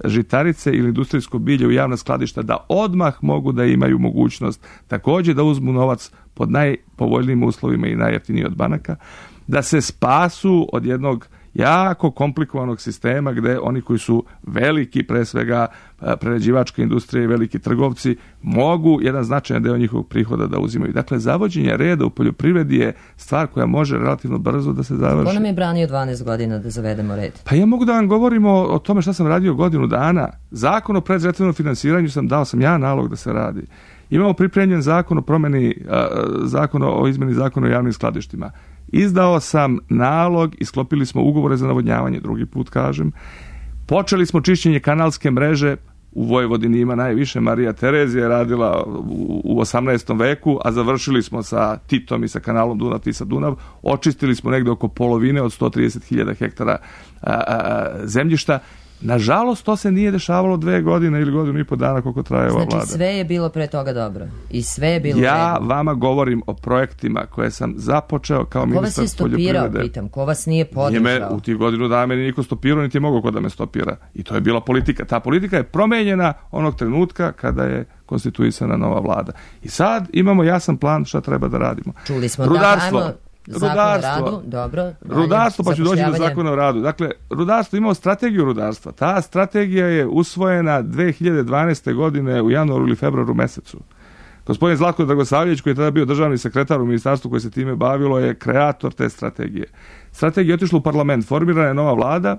žitarice ili industrijsko bilje u javna skladišta, da odmah mogu da imaju mogućnost također da uzmu novac pod najpovoljnijim uslovima i najjeftiniji od banaka, da se spasu od jednog jako komplikovanog sistema gde oni koji su veliki, pre svega prerađivačka industrija i veliki trgovci, mogu jedan značajan deo njihovog prihoda da uzimaju. Dakle, zavođenje reda u poljoprivredi je stvar koja može relativno brzo da se završi. Ko nam je branio 12 godina da zavedemo red? Pa ja mogu da vam govorim o tome šta sam radio godinu dana. Zakon o predžetvenom finansiranju dao sam ja nalog da se radi. Imamo pripremljen zakon o promeni, zakon o izmeni zakona o javnim skladištima. Izdao sam nalog i sklopili smo ugovore za navodnjavanje, drugi put kažem. Počeli smo čišćenje kanalske mreže, u Vojvodini ima najviše, Marija Terezija je radila u 18. veku, a završili smo sa Titom i sa kanalom Dunav-Tisa-Dunav, očistili smo negde oko polovine od 130.000 hektara zemljišta. Nažalost, to se nije dešavalo 2 godine ili 1.5 godina koliko traje ova vlada. Znači, sve je bilo pre toga dobro. I sve je bilo ja vama govorim o projektima koje sam započeo kao ministar poljoprivrede. Ko vas je stopirao, pitam? Ko vas nije podržao? U tih godinu dana meni niko stopirao, niti je mogao ko da me stopira. I to je bila politika. Ta politika je promenjena onog trenutka kada je konstituisana nova vlada. I sad imamo jasan plan šta treba da radimo. Čuli smo rudarstvo. Rudarstvo, pa ću doći do zakona o radu. Dakle, rudarstvo, imamo strategiju rudarstva. Ta strategija je usvojena 2012. godine u januaru ili februaru mesecu. Gospodin Zlatko Dragosavljević, koji je tada bio državni sekretar u ministarstvu koje se time bavilo, je kreator te strategije. Strategija je otišla u parlament, formirana je nova vlada,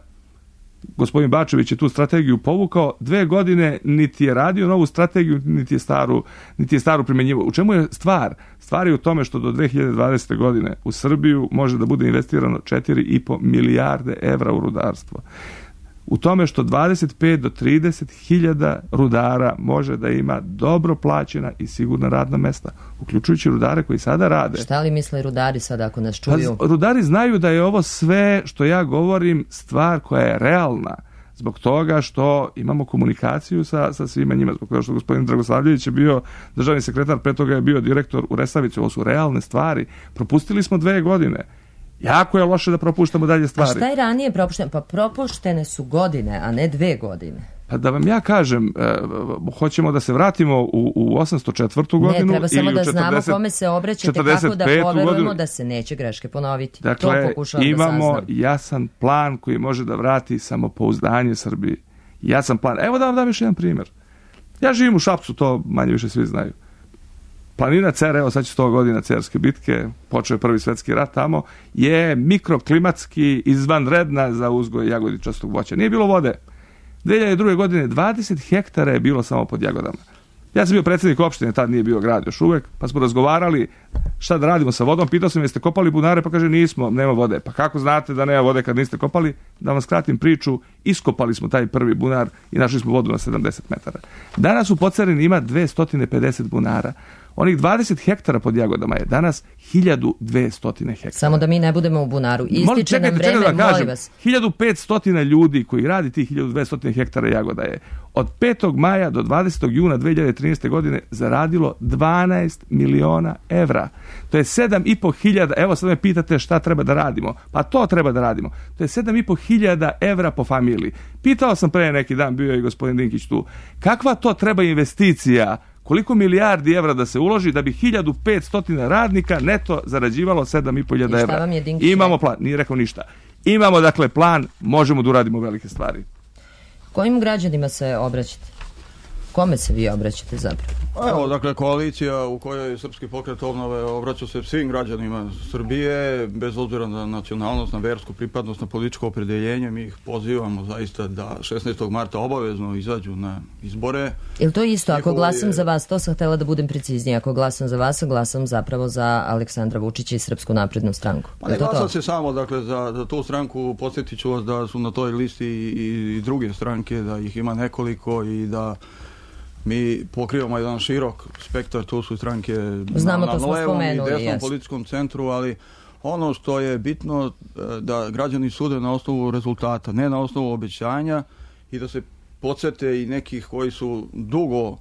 gospodin Bačević je tu strategiju povukao, 2 godine niti je radio novu strategiju, niti je staru primjenjivao. U čemu je stvar? Stvar je u tome što do 2020. godine u Srbiju može da bude investirano 4,5 milijarde evra u rudarstvo. U tome što 25 do 30 hiljada rudara može da ima dobro plaćena i sigurna radna mesta, uključujući rudare koji sada rade. Šta li misle rudari sada ako nas čuju? Pa, rudari znaju da je ovo sve što ja govorim stvar koja je realna. Zbog toga što imamo komunikaciju sa svima njima, zbog toga što gospodin Dragosavljević je bio državni sekretar, pre toga je bio direktor u Resavici. Ovo su realne stvari. Propustili smo 2 godine. Jako je loše da propuštamo dalje stvari. A šta je ranije propušteno? Pa propuštene su godine, a ne 2 godine. Pa da vam ja kažem, hoćemo da se vratimo u 804. godinu. Ne, treba samo da znamo 40, kome se obraćate, kako da poverujemo da se neće greške ponoviti. Dakle, imamo jasan plan koji može da vrati samopouzdanje Srbiji. Jasan plan. Evo da vam dam još jedan primjer. Ja živim u Šapcu, to manje više svi znaju. Planina Cer, evo sad će 100 godina Cerske bitke, počeo je Prvi svjetski rat tamo, je mikroklimatski izvanredna za uzgoj jagodičastog voća. Nije bilo vode. 2002. godine 20 hektara je bilo samo pod jagodama. Ja sam bio predsjednik opštine, tad nije bio grad još uvek, pa smo razgovarali šta da radimo sa vodom. Pitao sam jeste kopali bunare, pa kaže nismo, nema vode. Pa kako znate da nema vode kad niste kopali? Da vam skratim priču, iskopali smo taj prvi bunar i našli smo vodu na 70 metara. Danas u Podcarini ima 250 bunara. Onih 20 hektara pod jagodama je danas 1200 hektara. Samo da mi ne budemo u bunaru. Ističe nam vreme, molim vas. 1500 ljudi koji radi tih 1200 hektara jagoda je od 5. maja do 20. juna 2013. godine zaradilo 12 miliona evra. To je 7.500, evo sad me pitate šta treba da radimo. Pa to treba da radimo. To je 7.500 evra po familiji. Pitao sam pre neki dan, bio je i gospodin Dinkić tu, kakva to treba investicija, koliko milijardi evra da se uloži da bi 1500 radnika neto zarađivalo 7.500 evra. Imamo plan, nije rekao ništa. Imamo dakle plan, možemo da uradimo velike stvari. Kojim građanima se obraćate? Kome se vi obraćate zapravo? Evo, dakle, koalicija u kojoj Srpski pokret obnove obraća se svim građanima Srbije, bez obzira na nacionalnost, na versku pripadnost, na političko opredeljenje. Mi ih pozivamo zaista da 16. marta obavezno izađu na izbore. Ili to isto, ako glasam za vas, to sam htjela da budem preciznija, ako glasam za vas, glasam zapravo za Aleksandra Vučića i Srpsku naprednu stranku. Pa ne glasam se samo, dakle, za tu stranku, podsjetit ću vas da su na toj listi i druge stranke, da ih ima nekoliko i da mi pokrivamo jedan širok spektar, tu su stranke na levom i desnom političkom centru, ali ono što je bitno da građani sude na osnovu rezultata, ne na osnovu obećanja, i da se podsjete i nekih koji su dugo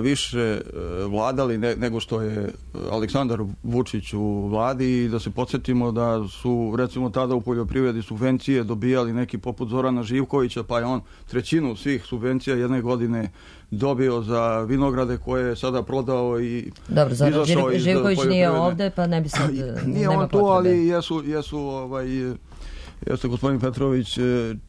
više vladali nego što je Aleksandar Vučić u vladi, i da se podsjetimo da su recimo tada u poljoprivredi subvencije dobijali neki poput Zorana Živkovića, pa je on trećinu svih subvencija jedne godine dobio za vinograde koje je sada prodao i dobro, Zoran Živković nije ovde, pa ne bi sad nije on tu, ali jeste gospodin Petrović,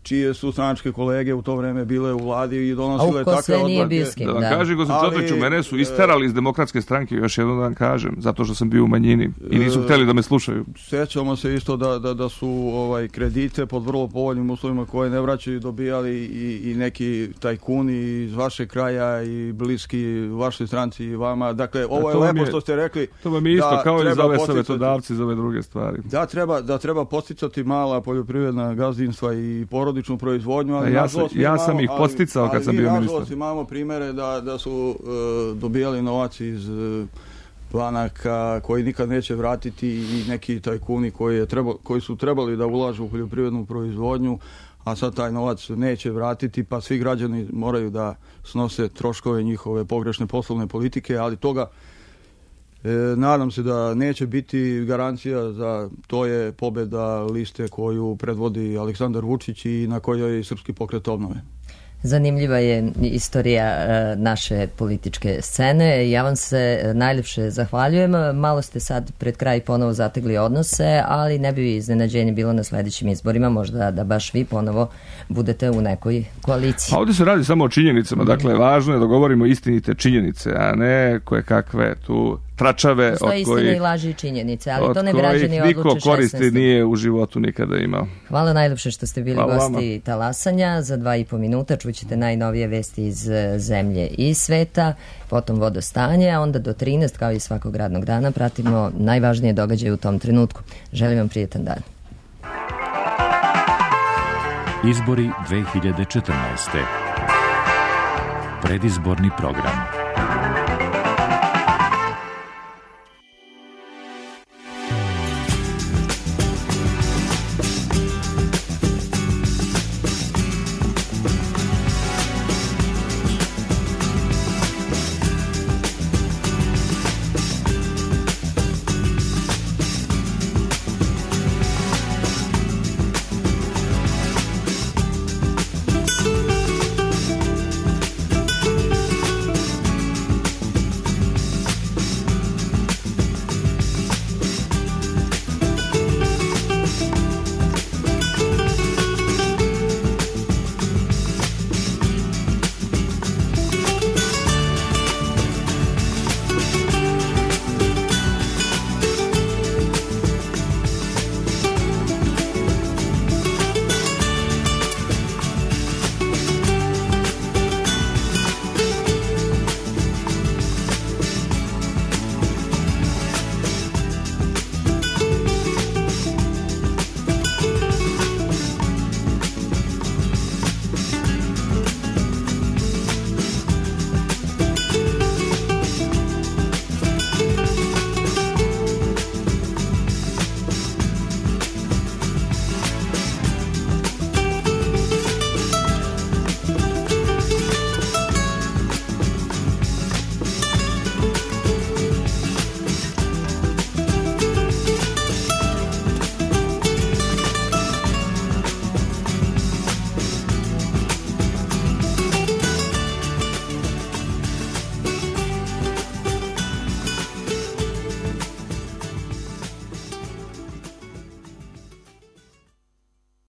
čije su stranačke kolege u to vreme bile u vladi i donosile takve odluke. Da vam kažem, gospodin Petroviću, mene su isterali iz Demokratske stranke, još jednom da vam kažem, zato što sam bio u manjini i nisu htjeli da me slušaju. Sjećamo se isto da su kredite pod vrlo povoljnim uslovima koje ne vraćaju dobijali i neki tajkuni iz vašeg kraja i bliski vašoj stranci i vama. Dakle, ovo je lepo što ste rekli. To vam je isto kao i za ove savjetodavci, za ove druge stvari. Da treba posticati mala poljoprivredna gazdinstva i porodičnu proizvodnju, ali ja sam ih posticao kad sam bio ministar. Nažalost imamo primere da su dobijali novac iz banaka koji nikad neće vratiti i neki tajkuni koji su trebali da ulažu u poljoprivrednu proizvodnju, a sad taj novac neće vratiti, pa svi građani moraju da snose troškove njihove pogrešne poslovne politike, ali toga nadam se da neće biti. Garancija za to je pobjeda liste koju predvodi Aleksandar Vučić i na kojoj je i Srpski pokret obnove. Zanimljiva je istorija naše političke scene. Ja vam se najljepše zahvaljujem. Malo ste sad pred kraj ponovo zategli odnose, ali ne bi iznenađenje bilo na sljedećim izborima, možda da baš vi ponovo budete u nekoj koaliciji. A ovdje se radi samo o činjenicama, dakle važno je da govorimo istinite činjenice, a ne koje kakve tu tračave od kojih istina i laži i činjenice, ali to ne građani odluče 16. niko koristi nije u životu nikada imao. Hvala najljepše što ste bili gosti Talasanja. Za 2,5 minuta čućete najnovije vesti iz zemlje i sveta, potom vodostanje, a onda do 13, kao i svakog radnog dana, pratimo najvažnije događaje u tom trenutku. Želim vam prijetan dan. Izbori 2014. Predizborni program.